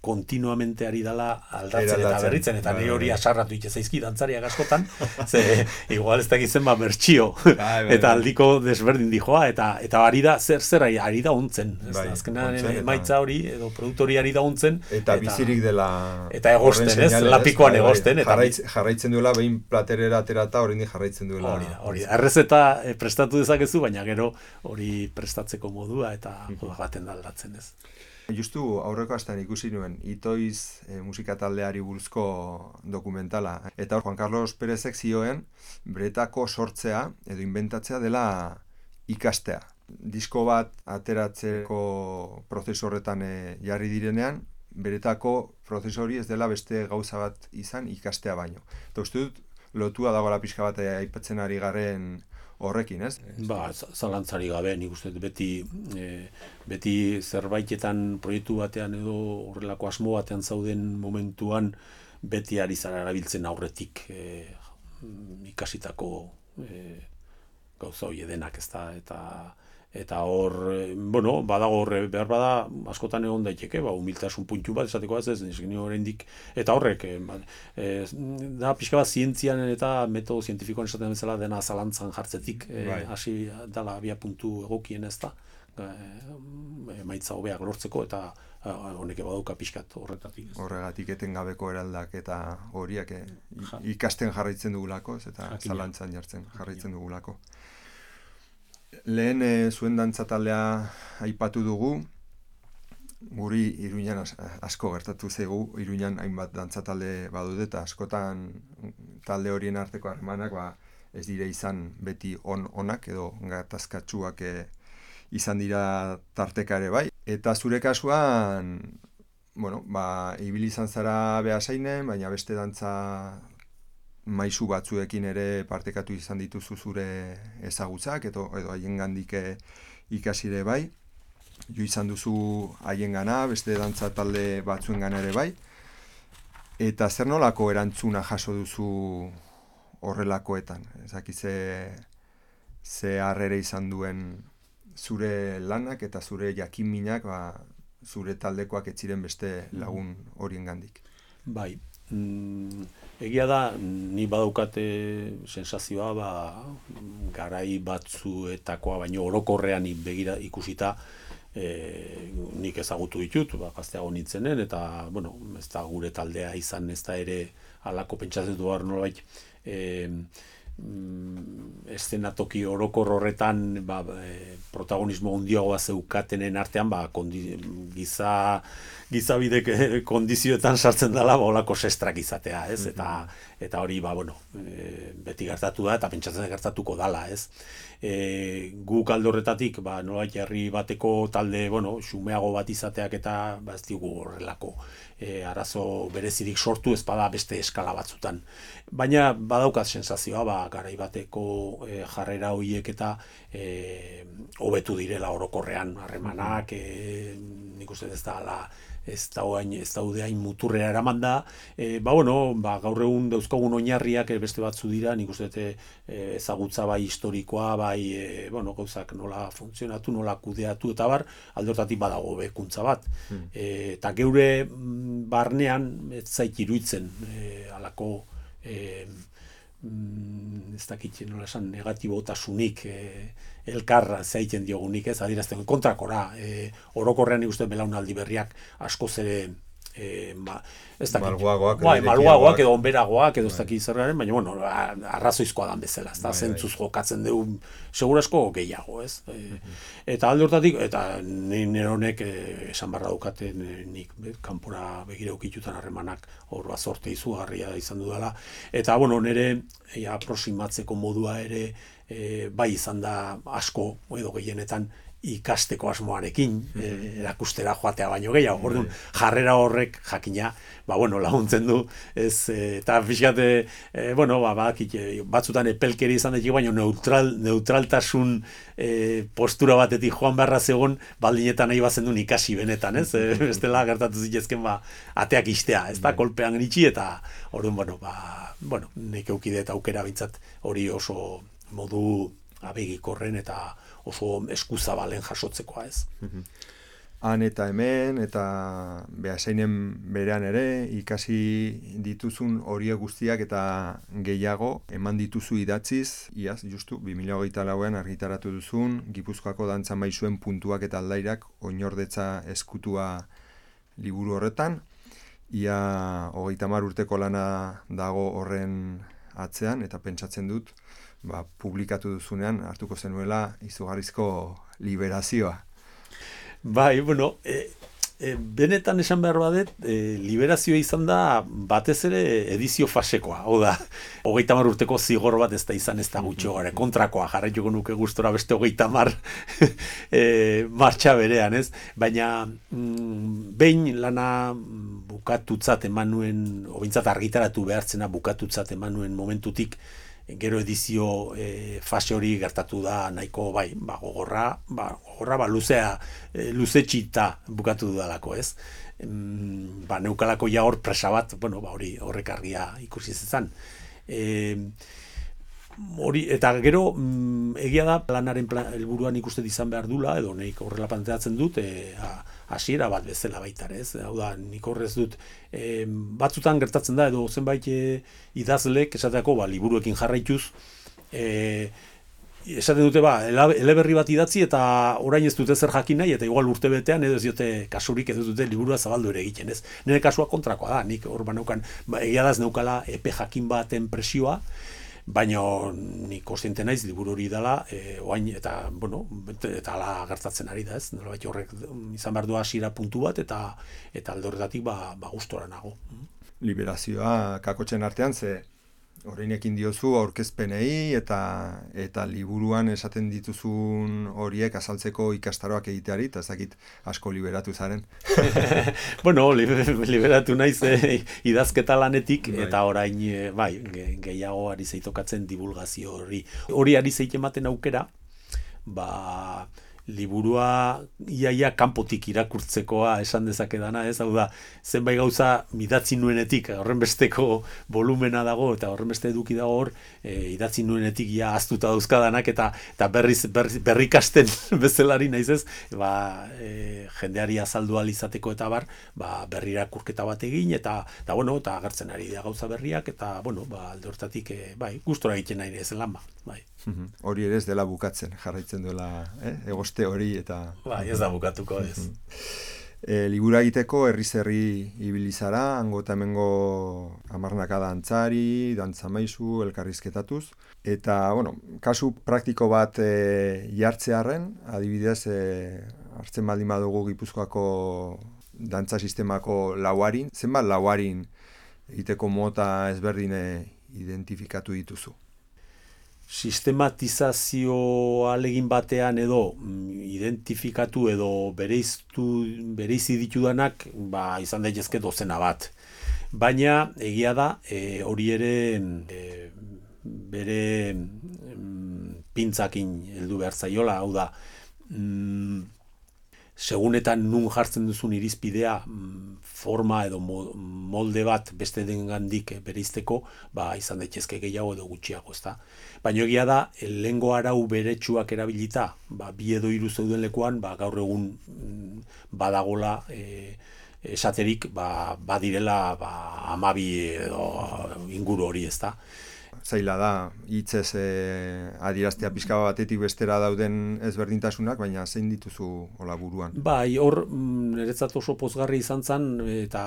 kontinuamente ari dala aldatzen eta berritzen, eta nire hori asarratu ite zaizki dantzariak askotan, ze igual ez dakitzen ba mertxio, eta aldiko desberdin dijoa, eta eta ari da, zer zer ari da ontzen, azkenan emaitza hori, edo produktori ari da ontzen,
eta bizirik dela
eta egosten, ez, lapikoan egosten,
jarraitzen duela, behin platerera aterata hori jarraitzen duela.
Hori da, hori da, errezeta prestatu dezakezu, baina gero hori prestatzeko modua, eta baten da aldatzen, ez.
Justu aurreko astean ikusi nuen Itoiz e, musika taldeari buruzko dokumentala. Eta hor Juan Carlos Pérezek zioen beretako sortzea edo inventatzea dela ikastea. Disko bat ateratzeko prozesu horretan e, jarri direnean, beretako prozesu hori ez dela beste gauza bat izan ikastea baino. Eta uste dut lotua dagoela pixka bat aipatzen ari garen horrekin, ez?
Ba, zalantzari gabe, nik uste beti e, beti zerbaitetan proiektu batean edo horrelako asmo batean zauden momentuan beti ari zara erabiltzen aurretik e, ikasitako e, gauza hori denak, ez da, eta eta hor, bueno, badago horre behar bada askotan egon daiteke, ba, humiltasun puntu bat esateko ez, ez, niskin oraindik, eta horrek, e, da pixka bat zientzian eta metodo zientifikoan esaten bezala dena zalantzan jartzetik, hasi e, dala abia puntu egokien ez da, emaitza hobeak lortzeko, eta honek baduka pixkat horretatik.
Horregatik etengabeko eraldak eta horiak e, ikasten jarraitzen dugulako, ez, eta Jakina. Zalantzan jartzen jarraitzen dugulako. Lehen e, zuen dantza taldea aipatu dugu, guri Iruñan asko gertatu zaigu, Iruñan hainbat dantza talde badude eta askotan talde horien arteko harremanak ba, ez dire izan beti on onak edo gatazkatsuak e, izan dira tarteka ere bai. Eta zure kasuan, bueno, ba, ibili izan zara Beasainen, baina beste dantza maisu batzuekin ere partekatu izan dituzu zure ezagutzak edo edo haiengandik ikasire bai. Jo izan duzu haiengana, beste dantza talde batzuengana ere bai. Eta zer nolako erantzuna jaso duzu horrelakoetan? Ezaki ze ze harrera izan duen zure lanak eta zure jakinminak, ba, zure taldekoak ez ziren beste lagun horiengandik.
Bai. Mm, egia da, ni badaukate sensazioa, ba, garai batzuetakoa, baino orokorrean begira ikusita, e, nik ezagutu ditut, ba, gazteago nintzenen, eta, bueno, ez da gure taldea izan, ez da ere alako pentsatzen du behar nolabait, e, mm, eszenatoki orokor horretan ba, e, protagonismo handiagoa zeukatenen artean ba, kondi, giza gizabidek kondizioetan sartzen dela ba, olako sestrak izatea, ez? Eta, eta hori ba, bueno, e, beti gertatu da eta pentsatzen gertatuko dala, ez? E, guk alde horretatik ba, nolait herri bateko talde bueno, xumeago bat izateak eta ba, ez digu horrelako e, arazo berezirik sortu ez bada beste eskala batzutan. Baina badaukat sensazioa ba, garai bateko e, jarrera horiek eta e, hobetu direla orokorrean harremanak, e, nik uste ez da ala, ez da oain, ez daude hain muturrera eraman da, e, ba bueno, ba, gaur egun dauzkagun oinarriak beste batzu dira, nik uste e, ezagutza bai historikoa, bai e, bueno, gauzak nola funtzionatu, nola kudeatu eta bar, aldortatik badago bekuntza bat. Hmm. E, eta geure barnean ez zait iruditzen e, alako e, mm, ez dakit nola esan, negatibotasunik e, elkarra zaiten diogunik, ez, adierazten kontrakora, e, orokorrean ikusten belaunaldi berriak askoz ere E, ma, ez dakit,
malguagoak,
bai, malguagoak edo onberagoak edo ez dakit zergaren, baina bueno, arrazoizkoa dan bezala, ez da, zentzuz jokatzen dugu segurasko gehiago, ez? E, eta alde hortatik, eta nire honek e, esan barra daukaten e, nik be, kanpora begira ukitutan harremanak hor bat zorte izugarria izan dudala, eta bueno, nire e, aproximatzeko modua ere e, bai izan da asko edo gehienetan ikasteko asmoarekin, e, erakustera joatea baino gehiago. Orduan, jarrera horrek jakina, ba bueno, laguntzen du, ez e, eta pixkat e, bueno, ba badakit batzutan epelkeri izan daiteke, baino neutral neutraltasun e, postura batetik joan beharra zegon, baldin eta nahi bazendun ikasi benetan, ez? E, bestela gertatu zitezken ba ateak istea, ez da, kolpean itxi eta orduan, bueno, ba bueno, nik eukide eta aukera bintzat hori oso modu abegikorren eta oso eskuzabalen jasotzekoa, ez.
Han eta hemen, eta behasainen berean ere, ikasi dituzun horiek guztiak eta gehiago eman dituzu idatziz, iaz, justu, bi mila hogeita lauean argitaratu duzun, Gipuzkoako dantza maisuen puntuak eta aldairak oinordetza eskutua liburu horretan, ia hogeita hamar urteko lana dago horren atzean, eta pentsatzen dut, ba, publikatu duzunean hartuko zenuela izugarrizko liberazioa.
Bai, bueno, e, e, benetan esan behar badet, e, liberazioa izan da batez ere edizio fasekoa. Hau da, hogeita hamar urteko zigor bat ez da izan ez da gutxo gara, kontrakoa jarraituko nuke gustora beste hogeita hamar e, martxa berean, ez? Baina mm, behin lana bukatutzat eman nuen, obintzat argitaratu behartzena bukatutzat eman nuen momentutik, gero edizio e, fase hori gertatu da nahiko bai, ba, gogorra, ba, gogorra, ba, luzea, e, luzetxita bukatu dudalako, ez? Mm, ba, neukalako ja hor presa bat, bueno, ba, hori horrek argia ikusi zezan. E, hori, eta gero, mm, egia da, planaren plan, helburuan ikusten izan behar dula, edo nik horrela planteatzen dut, e, a, hasiera bat bezala baita, ez? Hau da, nik horrez dut, e, batzutan gertatzen da, edo zenbait e, idazlek, esateako, ba, liburuekin jarraituz, e, esaten dute, ba, eleberri bat idatzi, eta orain ez dute zer jakin nahi, eta igual urte betean, edo ez diote kasurik, edo dute liburua zabaldu ere egiten, ez? Nire kasua kontrakoa da, nik hor baneukan, ba, egia da ez neukala epe jakin baten presioa, baina nik kontziente naiz liburu hori dela, e, oain, eta, bueno, eta ala gertatzen ari da, ez? Nolabait horrek izan behar du hasiera puntu bat, eta eta alde horretatik ba, ba gustora nago.
Liberazioa kakotxen artean, ze Orainekin diozu aurkezpenei eta eta liburuan esaten dituzun horiek azaltzeko ikastaroak egiteari, eta ez dakit asko liberatu zaren.
Bueno, liberatu naiz eh, idazketa lanetik, bai. Eta orain eh, bai, gehiago ari zeitokatzen divulgazio hori. Hori ari zeitematen aukera, ba liburua iaia kanpotik irakurtzekoa esan dezakedana, ez? Hau da, zenbait gauza idatzi nuenetik, horren besteko volumena dago eta horren beste eduki dago hor, e, idatzi nuenetik ja aztuta dauzkadanak eta eta berriz berri, berrikasten bezalari naiz ez, ba, e, jendeari azaldu ahal izateko eta bar, ba berrirakurketa bat egin eta eta bueno, eta agertzen ari da gauza berriak eta bueno, ba alde hortatik e, bai, gustora egiten nahi ez lan ba, bai.
Hori ere ez dela bukatzen, jarraitzen duela, eh? Egoste hori eta...
Bai, ez da bukatuko, ez.
E, libura egiteko herriz herri ibili zara, hango eta hemengo hamarnaka dantzari, dantzamaizu, elkarrizketatuz. Eta, bueno, kasu praktiko bat e, jartzearren, adibidez, e, hartzen baldin badugu Gipuzkoako dantza sistemako lauarin, zenbat lauarin egiteko mota ezberdine identifikatu dituzu?
Sistematizazio alegin batean edo identifikatu edo bereiztu bereizi ditudanak ba izan daitezke dozena bat. Baina egia da e, hori ere e, bere mm, pintzakin heldu behar zaiola, hau da mm, segunetan nun jartzen duzun irizpidea forma edo molde bat beste dengandik bereizteko, ba izan daitezke gehiago edo gutxiago, ezta. Baina egia da, lehengo arau beretsuak erabilita, ba bi edo hiru zeuden lekuan, ba gaur egun badagola e, esaterik, ba badirela ba hamabi edo inguru hori, ezta.
Zaila da, hitzez e, adieraztea pixka batetik bestera dauden ezberdintasunak, baina zein dituzu hola buruan?
Bai, hor niretzat oso pozgarri izan zen, eta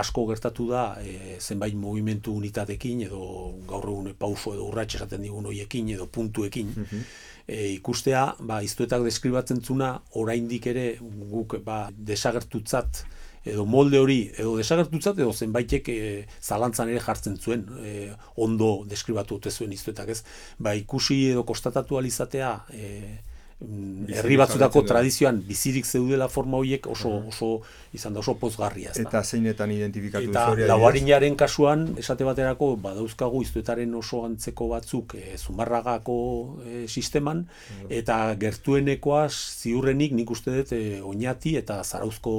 asko gertatu da e, zenbait mugimendu unitatekin, edo gaur egun pauso edo urrats esaten digun hoiekin, edo puntuekin, mm-hmm. e, ikustea, ba, iztuetak deskribatzen zuna, oraindik ere guk ba, desagertutzat, edo molde hori, edo desagertutzat, edo zenbaitek e, zalantzan ere jartzen zuen, e, ondo deskribatu dute zuen iztuetak, ez? Ba, ikusi edo kostatatu alizatea, e, herri batzutako tradizioan bizirik zeudela forma horiek oso, oso izan da oso pozgarria. Ez da.
Eta zeinetan identifikatu
eta
historia?
Eta lauarinaren kasuan, esate baterako, badauzkagu iztuetaren oso antzeko batzuk e, Zumarragako e, sisteman, eta gertuenekoa ziurrenik nik uste dut e, Oñati eta Zarauzko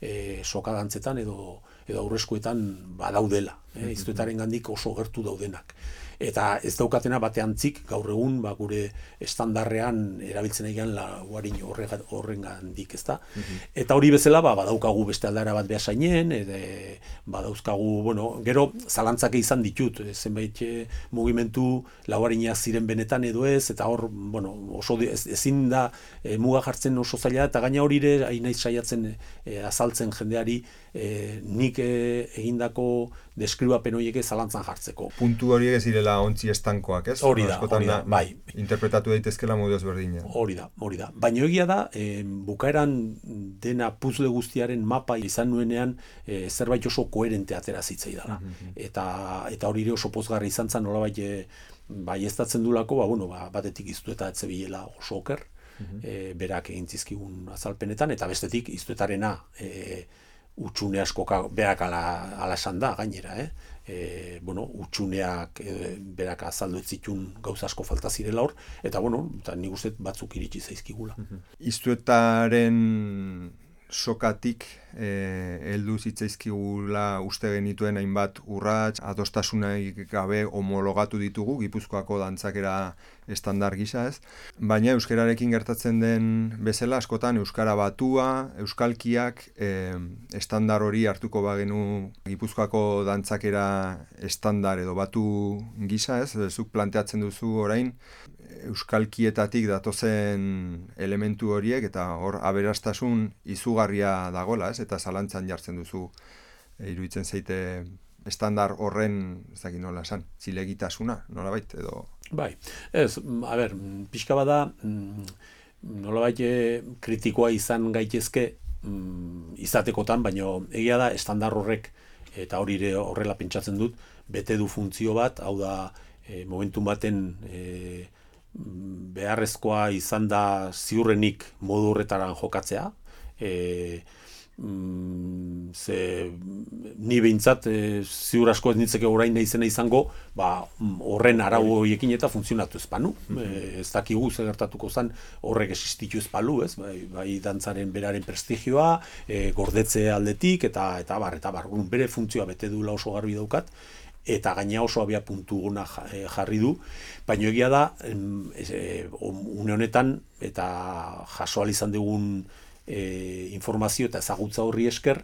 e, sokadantzetan edo edo aurreskuetan badaudela, e, iztuetaren gandik oso gertu daudenak. Eta ez daukatena bateantzik gaur egun ba, gure estandarrean erabiltzen egian lauarin horren gandik, ezta? Mm-hmm. Eta hori bezala ba, badaukagu beste aldara bat behasainen, eta badauzkagu, bueno, gero zalantzak izan ditut, zenbait e, mugimendu lauarinak ziren benetan edo ez, eta hor, bueno, oso ez, ezin da e, muga jartzen oso zaila, eta gaina hori ere, hain naiz saiatzen e, azaltzen jendeari, e, nik e, egindako deskribapen horiek zalantzan jartzeko.
Puntu horiek ez direla ontzi estankoak, ez?
Hori da, hori da, bai.
Interpretatu daitezkela modu ezberdinean.
Hori da, hori da. Baina egia da, e, bukaeran dena puzzle guztiaren mapa izan nuenean e, zerbait oso koherente atera zitzaidala. Mm-hmm. Eta eta hori ere oso pozgarri izan zen, nolabait e, bai ez datzen dulako, ba, bueno, ba, batetik iztueta etzebilela oso oker, mm-hmm. e, berak egin zizkigun azalpenetan, eta bestetik iztuetarena e, utxune asko berak ala, ala esan da, gainera, eh? E, bueno, utxuneak e, berak azaldu ez zitun gauza asko falta zirela hor, eta bueno, eta nik uste batzuk iritsi zaizkigula.
Iztuetaren sokatik eh, heldu zitzaizkigula uste genituen hainbat urrats, adostasunaik gabe homologatu ditugu, Gipuzkoako dantzakera estandar gisa, ez? Baina euskararekin gertatzen den bezala askotan euskara batua, euskalkiak eh, estandar hori hartuko bagenu Gipuzkoako dantzakera estandar edo batu gisa, ez? Zuk planteatzen duzu orain euskalkietatik datozen elementu horiek eta hor aberastasun izugarria dagola, ez? Eta zalantzan jartzen duzu e, iruditzen zaite estandar horren, ez dakit nola esan, zilegitasuna, nolabait edo.
Bai. Ez, a ber, pixka bada nolabait kritikoa izan gaitezke izatekotan, baino egia da estandar horrek eta hori horrela pentsatzen dut, bete du funtzio bat, hau da e, momentum baten e, beharrezkoa izan da ziurrenik modu horretaran jokatzea. E, mm, ze ni behintzat e, ziur asko ez nintzeke orain izena izango, ba, horren arau horiekin eta funtzionatu ez panu. E, ez dakigu zer gertatuko zen horrek existitu ez palu, ez? Bai, bai dantzaren beraren prestigioa, e, gordetze aldetik, eta eta bar, eta bar, bere funtzioa bete duela oso garbi daukat, eta gaina oso abia puntu gona jarri du, baina egia da, e, une honetan, eta jaso izan dugun e, informazio eta ezagutza horri esker,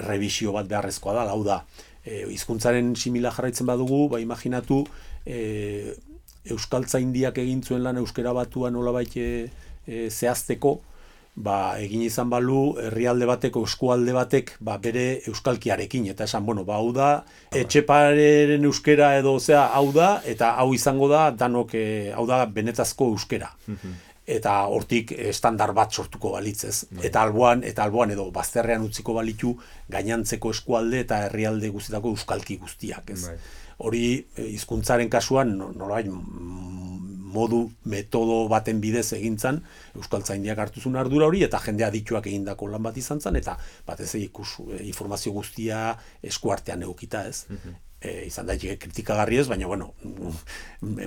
revisio bat beharrezkoa da, hau da, e, hizkuntzaren simila jarraitzen badugu, ba imaginatu, e, euskaltzaindiak egin zuen lan euskera batua nolabait e, e, zehazteko, ba, egin izan balu, herrialde bateko, eskualde batek, ba, bere euskalkiarekin, eta esan, bueno, ba, hau da, etxeparen euskera edo, zea, hau da, eta hau izango da, danok, e, hau da, benetazko euskera. Eta hortik estandar bat sortuko balitzez. Eta alboan, eta alboan edo bazterrean utziko balitu gainantzeko eskualde eta herrialde guztietako euskalki guztiak, ez? Hori, hizkuntzaren kasuan, nolabait, modu, metodo baten bidez egintzan, euskaltzaindiak hartu zuen ardura hori, eta jende adituak egindako lan bat izan zen, eta batez ikus informazio guztia eskuartean egokita, ez? E, izan daiteke kritikagarri ez, baina bueno,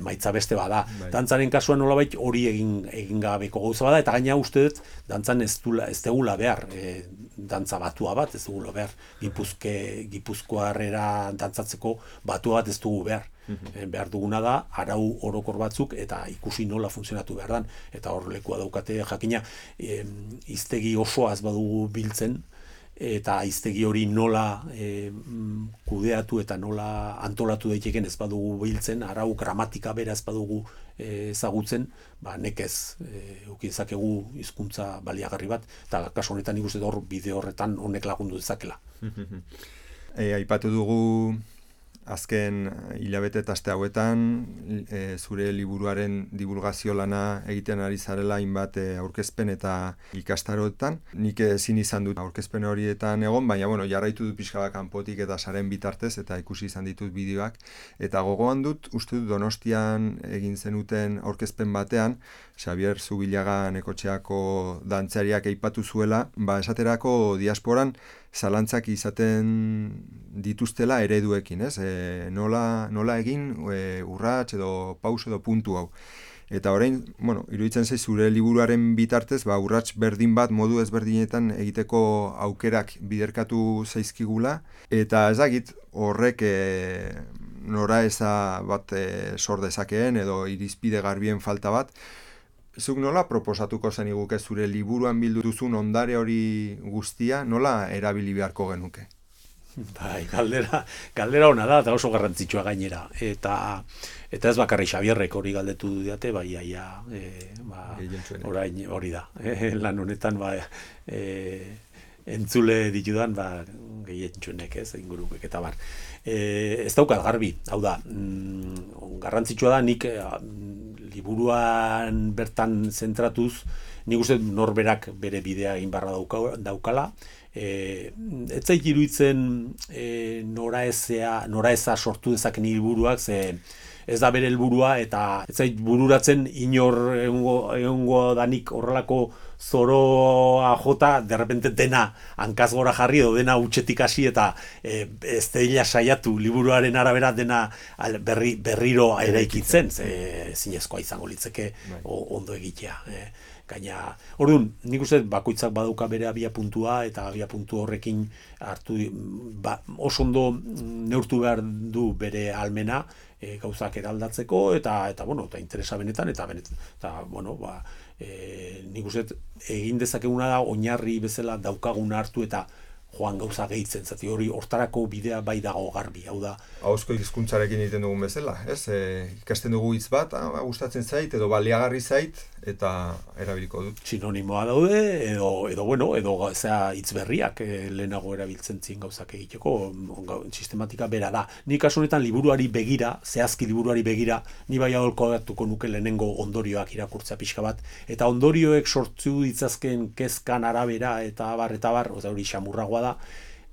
emaitza beste bada. Bai. Dantzaren kasuan nolabait hori egin egin gabeko gauza bada, eta gaina uste dut dantzan ez dula ez degula behar, e, dantza batua bat ez dugula behar. Gipuzke Gipuzkoarrera dantzatzeko batua bat ez dugu behar. E, behar duguna da arau orokor batzuk eta ikusi nola funtzionatu behar dan, eta hor lekua daukate jakina, e, hiztegi osoa ez badugu biltzen, eta hiztegi hori nola e, kudeatu eta nola antolatu daiteken ez badugu biltzen, arau gramatika bera ez badugu e, ezagutzen, ba, nekez e, uki dezakegu hizkuntza baliagarri bat, eta kasu honetan nik uste hor bide horretan honek lagundu dezakela.
E, aipatu dugu azken hilabete eta aste hauetan e, zure liburuaren divulgazio lana egiten ari zarela hainbat e, aurkezpen eta ikastaroetan. Nik ezin izan dut aurkezpen horietan egon, baina bueno, jarraitu dut pixka bat kanpotik eta saren bitartez eta ikusi izan ditut bideoak. Eta gogoan dut, uste dut Donostian egin zenuten aurkezpen batean, Xabier Zubillaga Nekotxeako dantzariak aipatu zuela, ba esaterako diasporan zalantzak izaten dituztela ereduekin, ez? E, nola, nola egin e, urrats edo paus edo puntu hau. Eta orain, bueno, iruditzen zaiz zure liburuaren bitartez, ba, urrats berdin bat modu ezberdinetan egiteko aukerak biderkatu zaizkigula, eta ezagit horrek e, nora eza bat e, sor dezakeen edo irizpide garbien falta bat. Zuk nola proposatuko zeniguke zure liburuan bildu duzun ondare hori guztia, nola erabili beharko genuke?
Bai, galdera, galdera ona da, eta oso garrantzitsua gainera. Eta eta ez bakarri Xabierrek hori galdetu diate, bai, aia, e, ba, orain hori da. E, lan honetan, ba, e, entzule ditudan, ba, gehientsunek, ez, ingurukek eta bar. E, ez daukat garbi, hau da, mm, garrantzitsua da, nik e, liburuan bertan zentratuz, nik uste norberak bere bidea egin barra dauka, daukala, e, ez zait iruditzen e, noraezea, noraeza sortu dezaken liburuak, ze ez da bere helburua eta ez zait bururatzen inor egongo, egongo danik horrelako zoroa jota, derrepente dena hankaz gora jarri edo dena utxetik hasi eta e, ez dela saiatu liburuaren arabera dena berri, berriro eraikitzen, ze zinezkoa izango litzeke ondo egitea. E, gaina, orduan, nik uste bakoitzak badauka bere abia puntua eta abia puntu horrekin hartu ba, oso ondo neurtu behar du bere almena e, gauzak eraldatzeko eta eta bueno, eta interesa benetan eta benetan, eta bueno, ba E, nik uste egin dezakeguna da oinarri bezala daukaguna hartu eta joan gauza gehitzen, zati hori hortarako bidea bai dago garbi, hau da.
Ahozko hizkuntzarekin egiten dugun bezala, ez? E, ikasten dugu hitz bat, ah, gustatzen zait edo baliagarri zait eta erabiliko dut.
Sinonimoa daude edo edo bueno, edo zea hitz berriak e, lehenago erabiltzen zien gauzak egiteko, sistematika bera da. Ni kasu honetan liburuari begira, zehazki liburuari begira, ni bai aholkatuko nuke lehenengo ondorioak irakurtzea pixka bat eta ondorioek sortu ditzazken kezkan arabera eta bar eta bar, oza hori xamurragoa da,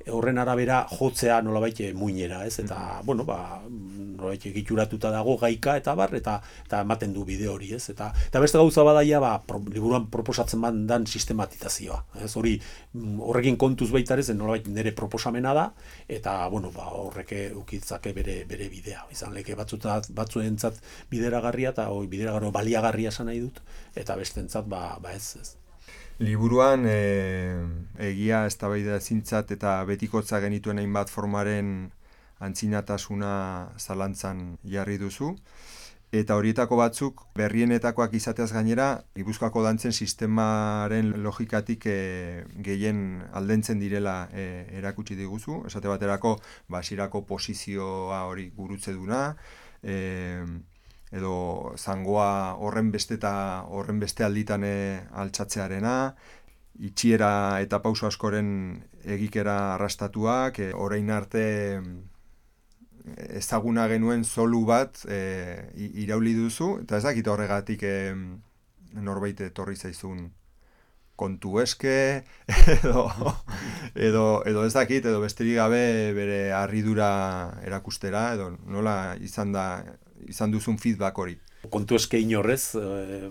horren arabera jotzea nolabait muinera, ez? Eta, bueno, ba, nolabait egituratuta dago gaika eta bar, eta eta ematen du bide hori, ez? Eta eta beste gauza badaia, ba, pro, liburuan proposatzen dan sistematizazioa, ez? Hori horrekin kontuz baita ere, nolabait nire proposamena da, eta, bueno, ba, horrek ukitzake bere bere bidea. Izan leke batzutat batzuentzat bideragarria eta hori bideragarri baliagarria esan nahi dut, eta bestentzat ba, ba ez, ez.
Liburuan e, egia eztabaida ezintzat eta betikotza genituen hainbat formaren antzinatasuna zalantzan jarri duzu. Eta horietako batzuk berrienetakoak izateaz gainera, Gipuzkoako dantzen sistemaren logikatik e, gehien aldentzen direla e, erakutsi diguzu. Esate baterako, basirako posizioa hori gurutze duna, e, edo zangoa horren beste eta horren beste alditan altxatzearena, itxiera eta pauso askoren egikera arrastatuak, e, orain arte ezaguna genuen zolu bat e, irauli duzu, eta ez dakit horregatik e, norbait etorri zaizun kontu eske, edo, edo, edo ez dakit, edo besterik gabe bere harridura erakustera, edo nola izan da izan duzun feedback hori.
Kontu eske inorrez, e,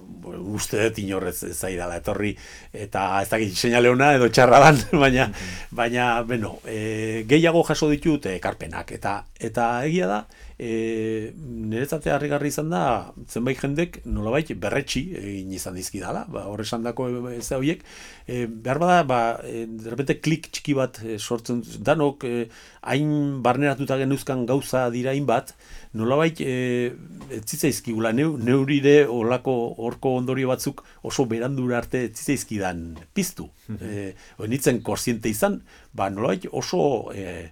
uste dut inorrez zaidala etorri, eta ez dakit seinale ona edo txarra dan, baina, baina beno, e, gehiago jaso ditut ekarpenak, eta eta egia da, e, niretzate harrigarri izan da, zenbait jendek nolabait berretsi egin izan dizkidala, ba, horre esandako ez da horiek, e, behar bada, ba, e, derrepente klik txiki bat e, sortzen, danok, e, hain barneratuta genuzkan gauza dira hainbat, nolabait e, ez zitzaizkigula, neu, neurire olako horko ondorio batzuk oso berandura arte ez zitzaizkidan piztu. E, nitzen korsiente izan, ba, nolabait oso e,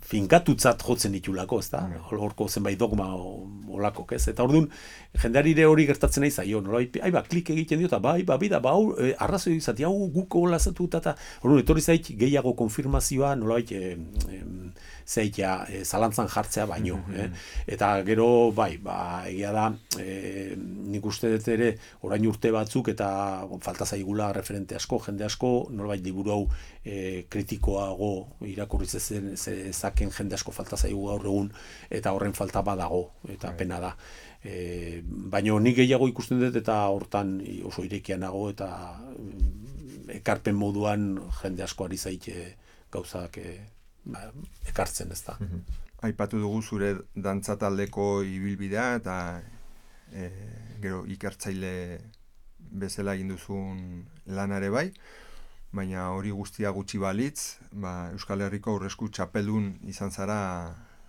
finkatutzat jotzen ditulako, ez da? Horko zenbait dogma olakok, ez? Eta orduan, jendearire hori gertatzen nahi zaio, nolabait, ai ba, klik egiten dio, eta bai, ba, bida, ba, hau, e, arrazoi izati, hau, guko lazatu, eta orduan, etorri zait, gehiago konfirmazioa, nolabait, e, e, zeitea, e, zalantzan jartzea baino, eh? Eta gero, bai, ba, egia da, e, nik uste dut ere, orain urte batzuk, eta falta zaigula referente asko, jende asko, nolabait liburu hau e, kritikoago irakurri zezen ezaken jende asko falta zaigu gaur egun, eta horren falta badago, eta pena da. E, baina nik gehiago ikusten dut, eta hortan oso irekian nago, eta ekarpen moduan jende asko ari zaite gauzak e, ba, ekartzen, ez da.
Aipatu dugu zure dantza taldeko ibilbidea, eta e, gero ikertzaile bezala egin duzun lanare bai, baina hori guztia gutxi balitz, ba, Euskal Herriko aurresku txapeldun izan zara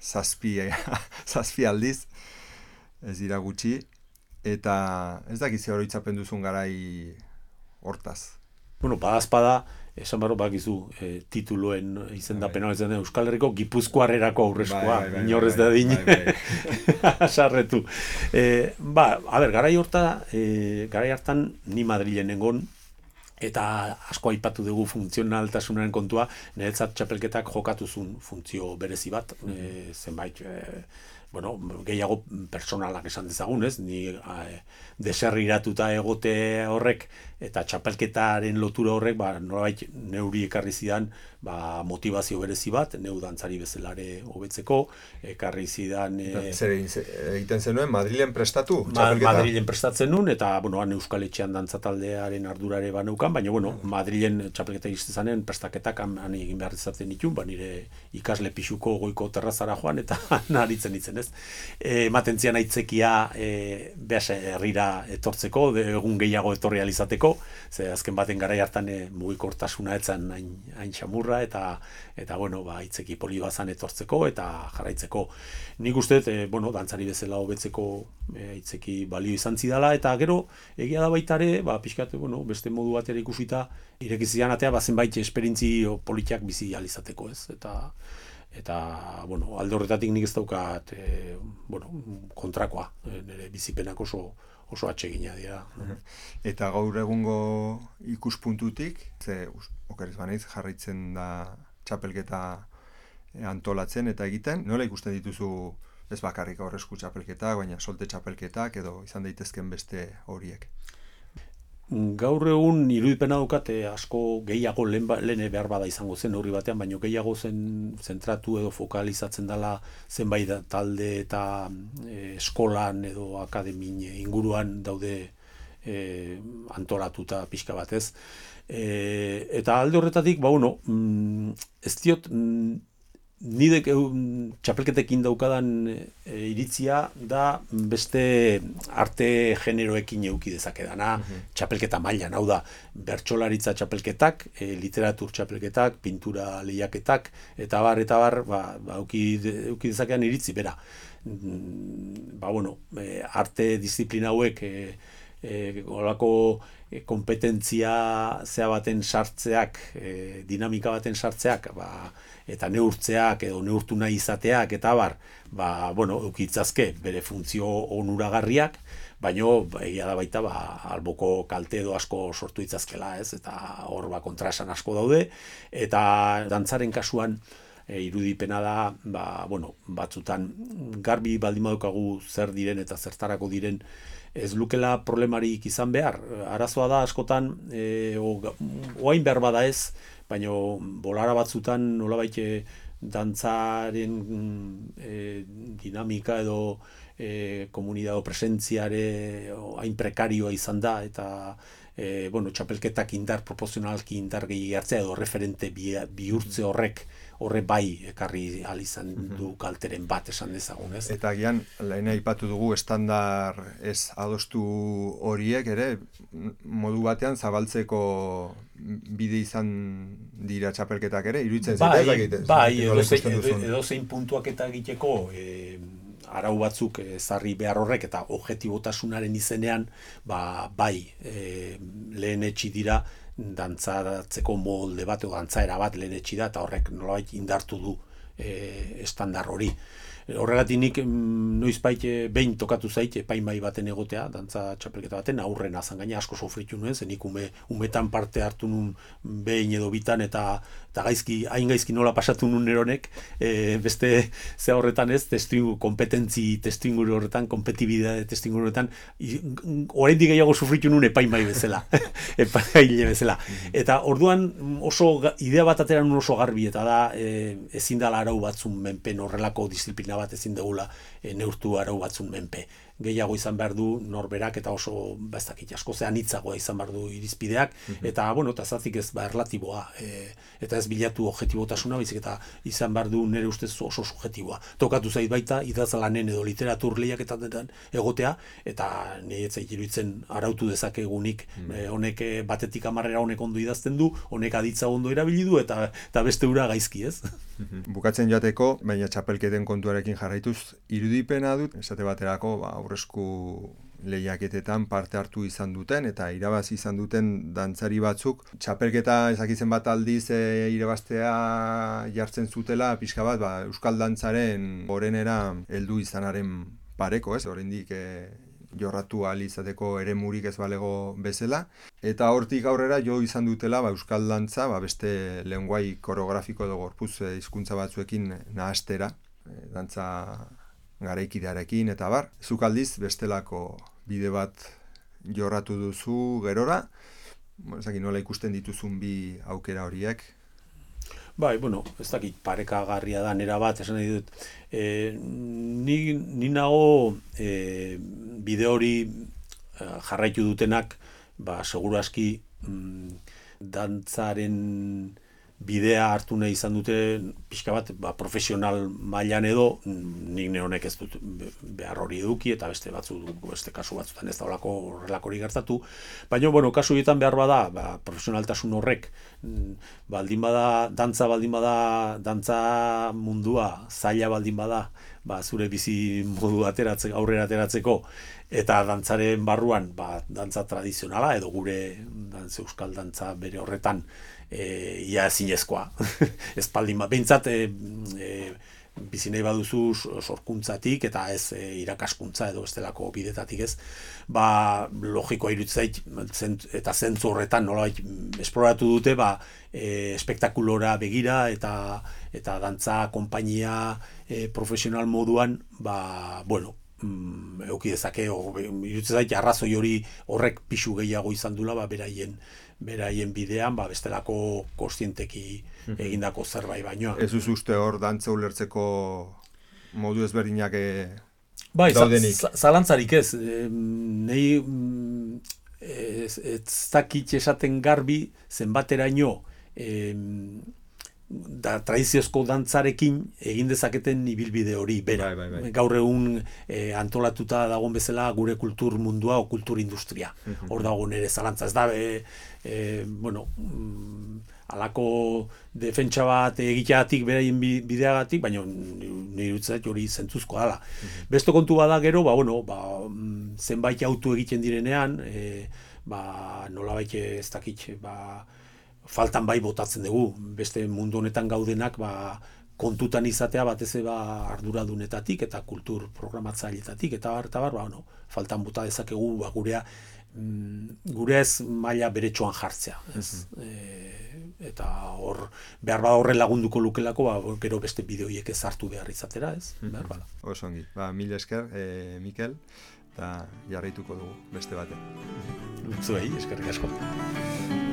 zazpi, zazpi aldiz, ez dira gutxi, eta ez dakiz oroitzapen duzun garai hortaz.
Bueno, badazpada, esan barro bakizu e, tituluen izendapena izan da Euskal Herriko Gipuzkoarrerako aurreskoa, inorrez da din, sarretu. E, ba, a ber, garai horta, e, garai hartan ni Madrilen nengon, eta asko aipatu dugu funtzionaltasunaren kontua, niretzat txapelketak jokatuzun funtzio berezi bat, e, zenbait, e, bueno, gehiago personalak esan dezagun, ez? Ni e, deserriratuta egote horrek eta txapelketaren lotura horrek, ba, nolabait neuri ekarri zidan, ba, motivazio berezi bat, neu dantzari bezalare hobetzeko, ekarri zidan... E,
Zer egiten zenuen, Madrilen prestatu?
Ma, Madrilen prestatzen nun, eta, bueno, han Euskal Etxean dantza taldearen ardurare baneukan, baina, bueno, Madrilen txapelketa iztezanen prestaketak han, han egin behar izaten ditun, ba, nire ikasle pixuko goiko terrazara joan, eta naritzen itzen, ez? E, matentzian aitzekia e, behas herrira etortzeko, de, egun gehiago etorri alizateko, ze azken baten garai hartan e, mugikortasuna etzan hain, hain xamurra, eta, eta bueno, ba, aitzeki poli bazan etortzeko, eta jarraitzeko. Nik uste, e, bueno, dantzari bezala hobetzeko e, aitzeki balio izan zidala, eta gero, egia da baitare, ba, pixkat, bueno, beste modu batera ikusita, irekizian atea, ba, zenbait esperientzio politiak bizi alizateko, ez? Eta, eta, bueno, alde horretatik nik ez daukat, e, bueno, kontrakoa, e, nire bizipenak oso, oso atsegina dira.
Eta gaur egungo ikuspuntutik, ze okerez banaiz jarraitzen da txapelketa antolatzen eta egiten, nola ikusten dituzu ez bakarrik aurresku txapelketak, baina solte txapelketak edo izan daitezken beste horiek?
Gaur egun irudipena daukate asko gehiago lehen, lehen behar bada izango zen horri batean, baina gehiago zen zentratu edo fokalizatzen dela zenbait talde eta e, eskolan edo akademin inguruan daude e, antolatuta pixka batez. E, eta alde horretatik, ba, bueno, mm, ez diot, mm, nidek txapelketekin daukadan e, iritzia da beste arte generoekin euki dezakedana, uh-huh. Txapelketa mailan, hau da, bertsolaritza txapelketak, e, literatur txapelketak, pintura lehiaketak, eta bar, eta bar, ba, ba euki, euki dezakedan iritzi, bera. Ba, bueno, e, arte disiplina hauek, e, e, olako e, kompetentzia zea baten sartzeak, e, dinamika baten sartzeak, ba, eta neurtzeak edo neurtu nahi izateak eta bar, ba, bueno, eukitzazke bere funtzio onuragarriak, baino egia da baita ba, alboko kalte edo asko sortu itzazkela, ez? Eta hor ba, kontraesan asko daude, eta dantzaren kasuan e, irudipena da, ba, bueno, batzutan garbi baldin badukagu zer diren eta zertarako diren, ez lukela problemarik izan behar. Arazoa da askotan, e, o, oain behar bada ez, baina bolara batzutan nolabait dantzaren e, dinamika edo e, komunidade o presentziare hain prekarioa izan da, eta e, bueno, txapelketak indar, proportzionalki indar gehi hartzea edo referente bihurtze horrek horre bai ekarri ahal izan du kalteren bat esan dezagun, ez?
Eta gian, lehen aipatu dugu estandar ez adostu horiek ere, modu batean zabaltzeko bide izan dira txapelketak ere, iruditzen
bai,
zaitez?
Bai, edo, edo, edo zein puntuak eta egiteko e, arau batzuk ezarri behar horrek eta objetibotasunaren izenean, ba, bai, e, lehen etxi dira, dantzatzeko molde bat edo dantzaera bat lehenetsi da eta horrek nolabait indartu du e, estandar hori. Horregatik nik noizbait behin tokatu zait epaimai baten egotea, dantza txapelketa baten, aurren azan gaina asko sofritu nuen, zen nik ume, umetan parte hartu nun behin edo bitan eta, eta gaizki, hain gaizki nola pasatu nun eronek, e, beste ze horretan ez, testingu, kompetentzi testinguru horretan, kompetibidade testinguru horretan, oraindik gehiago sofritu nun epaimai bezala, epaile bezala. Eta orduan oso idea bat atera nun oso garbi, eta da e, ezin dala arau batzun menpen horrelako disiplina bat ezin dugula e, neurtu arau batzun menpe. Gehiago izan behar du norberak eta oso bastakit asko zean hitzagoa izan behar du irizpideak, mm-hmm. eta bueno, eta zatik ez ba erlatiboa, e, eta ez bilatu objetibotasuna, baizik eta izan behar du nire ustez oso subjetiboa. Tokatu zait baita, idazlanen edo literatur lehiaketan egotea, eta nire etzait iruditzen arautu dezakegunik, mm-hmm. e, honek batetik hamarrera honek ondo idazten du, honek aditza ondo erabili du, eta, eta beste ura gaizki, ez?
Mm-hmm. Bukatzen joateko, baina txapelketen kontuarekin jarraituz, irudipena dut, esate baterako, ba, aurresku lehiaketetan parte hartu izan duten eta irabazi izan duten dantzari batzuk txapelketa ezakitzen bat aldiz e, irabaztea jartzen zutela pixka bat ba, euskal dantzaren gorenera heldu izanaren pareko, ez? Oraindik e, jorratu ahal izateko eremurik ez balego bezala eta hortik aurrera jo izan dutela ba, euskal dantza ba, beste lenguai koreografiko edo gorputz hizkuntza batzuekin nahastera e, dantza garaikidearekin eta bar, zuk aldiz bestelako bide bat jorratu duzu gerora, ezakit nola ikusten dituzun bi aukera horiek?
Bai, bueno, ez dakit parekagarria da nera bat, esan nahi dut, e, ni, ni nago e, bide hori jarraitu dutenak, ba, seguru aski mm, dantzaren bidea hartu nahi izan dute pixka bat ba, profesional mailan edo nik neonek ez dut behar hori eduki eta beste batzu beste kasu batzutan ez da horrelako horrelakori gertatu, baina bueno, kasu horietan behar bada ba, profesionaltasun horrek baldin bada dantza baldin bada dantza mundua zaila baldin bada ba, zure bizi modu ateratzeko aurrera ateratzeko eta dantzaren barruan ba, dantza tradizionala edo gure dantza euskal dantza bere horretan E, ia zinezkoa, espaldin bat, behintzat e, e, bizi nahi baduzu sorkuntzatik eta ez e, irakaskuntza edo bestelako bidetatik ez, ba logikoa iruditzait eta zentzu horretan nolabait esploratu dute ba e, espektakulora begira eta eta dantza konpainia e, profesional moduan ba bueno mm, euki dezake iruditzait arrazoi hori horrek pisu gehiago izan dula ba beraien beraien bidean, ba, bestelako kontzienteki egindako zerbait baino.
Ez uz uste hor dantza ulertzeko modu ezberdinak e,
bai,
daudenik?
Bai, zalantzarik ez. E, Nei ez, ez dakit esaten garbi zenbateraino e, da, tradiziozko dantzarekin egin dezaketen ibilbide hori bera.
Bai, bai, bai.
Gaur egun e, antolatuta dagoen bezala gure kultur mundua o kultur industria. Uh-huh. Hor dago nere zalantza. Ez da, e, e, bueno, mm, alako defentsa bat egiteagatik beraien bideagatik, baina nire utzat hori zentzuzkoa dela. Uh-huh. Beste kontu bada gero, ba, bueno, ba, zenbait autu egiten direnean, e, ba, nolabait ez dakit, ba, faltan bai botatzen dugu, beste mundu honetan gaudenak ba, kontutan izatea batez ba, arduradunetatik eta kultur programatzaileetatik eta bar, eta bar, ba, no, faltan bota dezakegu ba, gurea, mm, gure ez maila beretsuan jartzea. Ez? Mm-hmm. e, eta hor, behar ba horren lagunduko lukelako, ba, gero beste bideoiek ez hartu behar izatera, ez? Mm-hmm. Behar bada.
Oso ongi, ba, mil esker, e, Mikel, eta jarraituko dugu beste batean.
Zuei, eskerrik asko.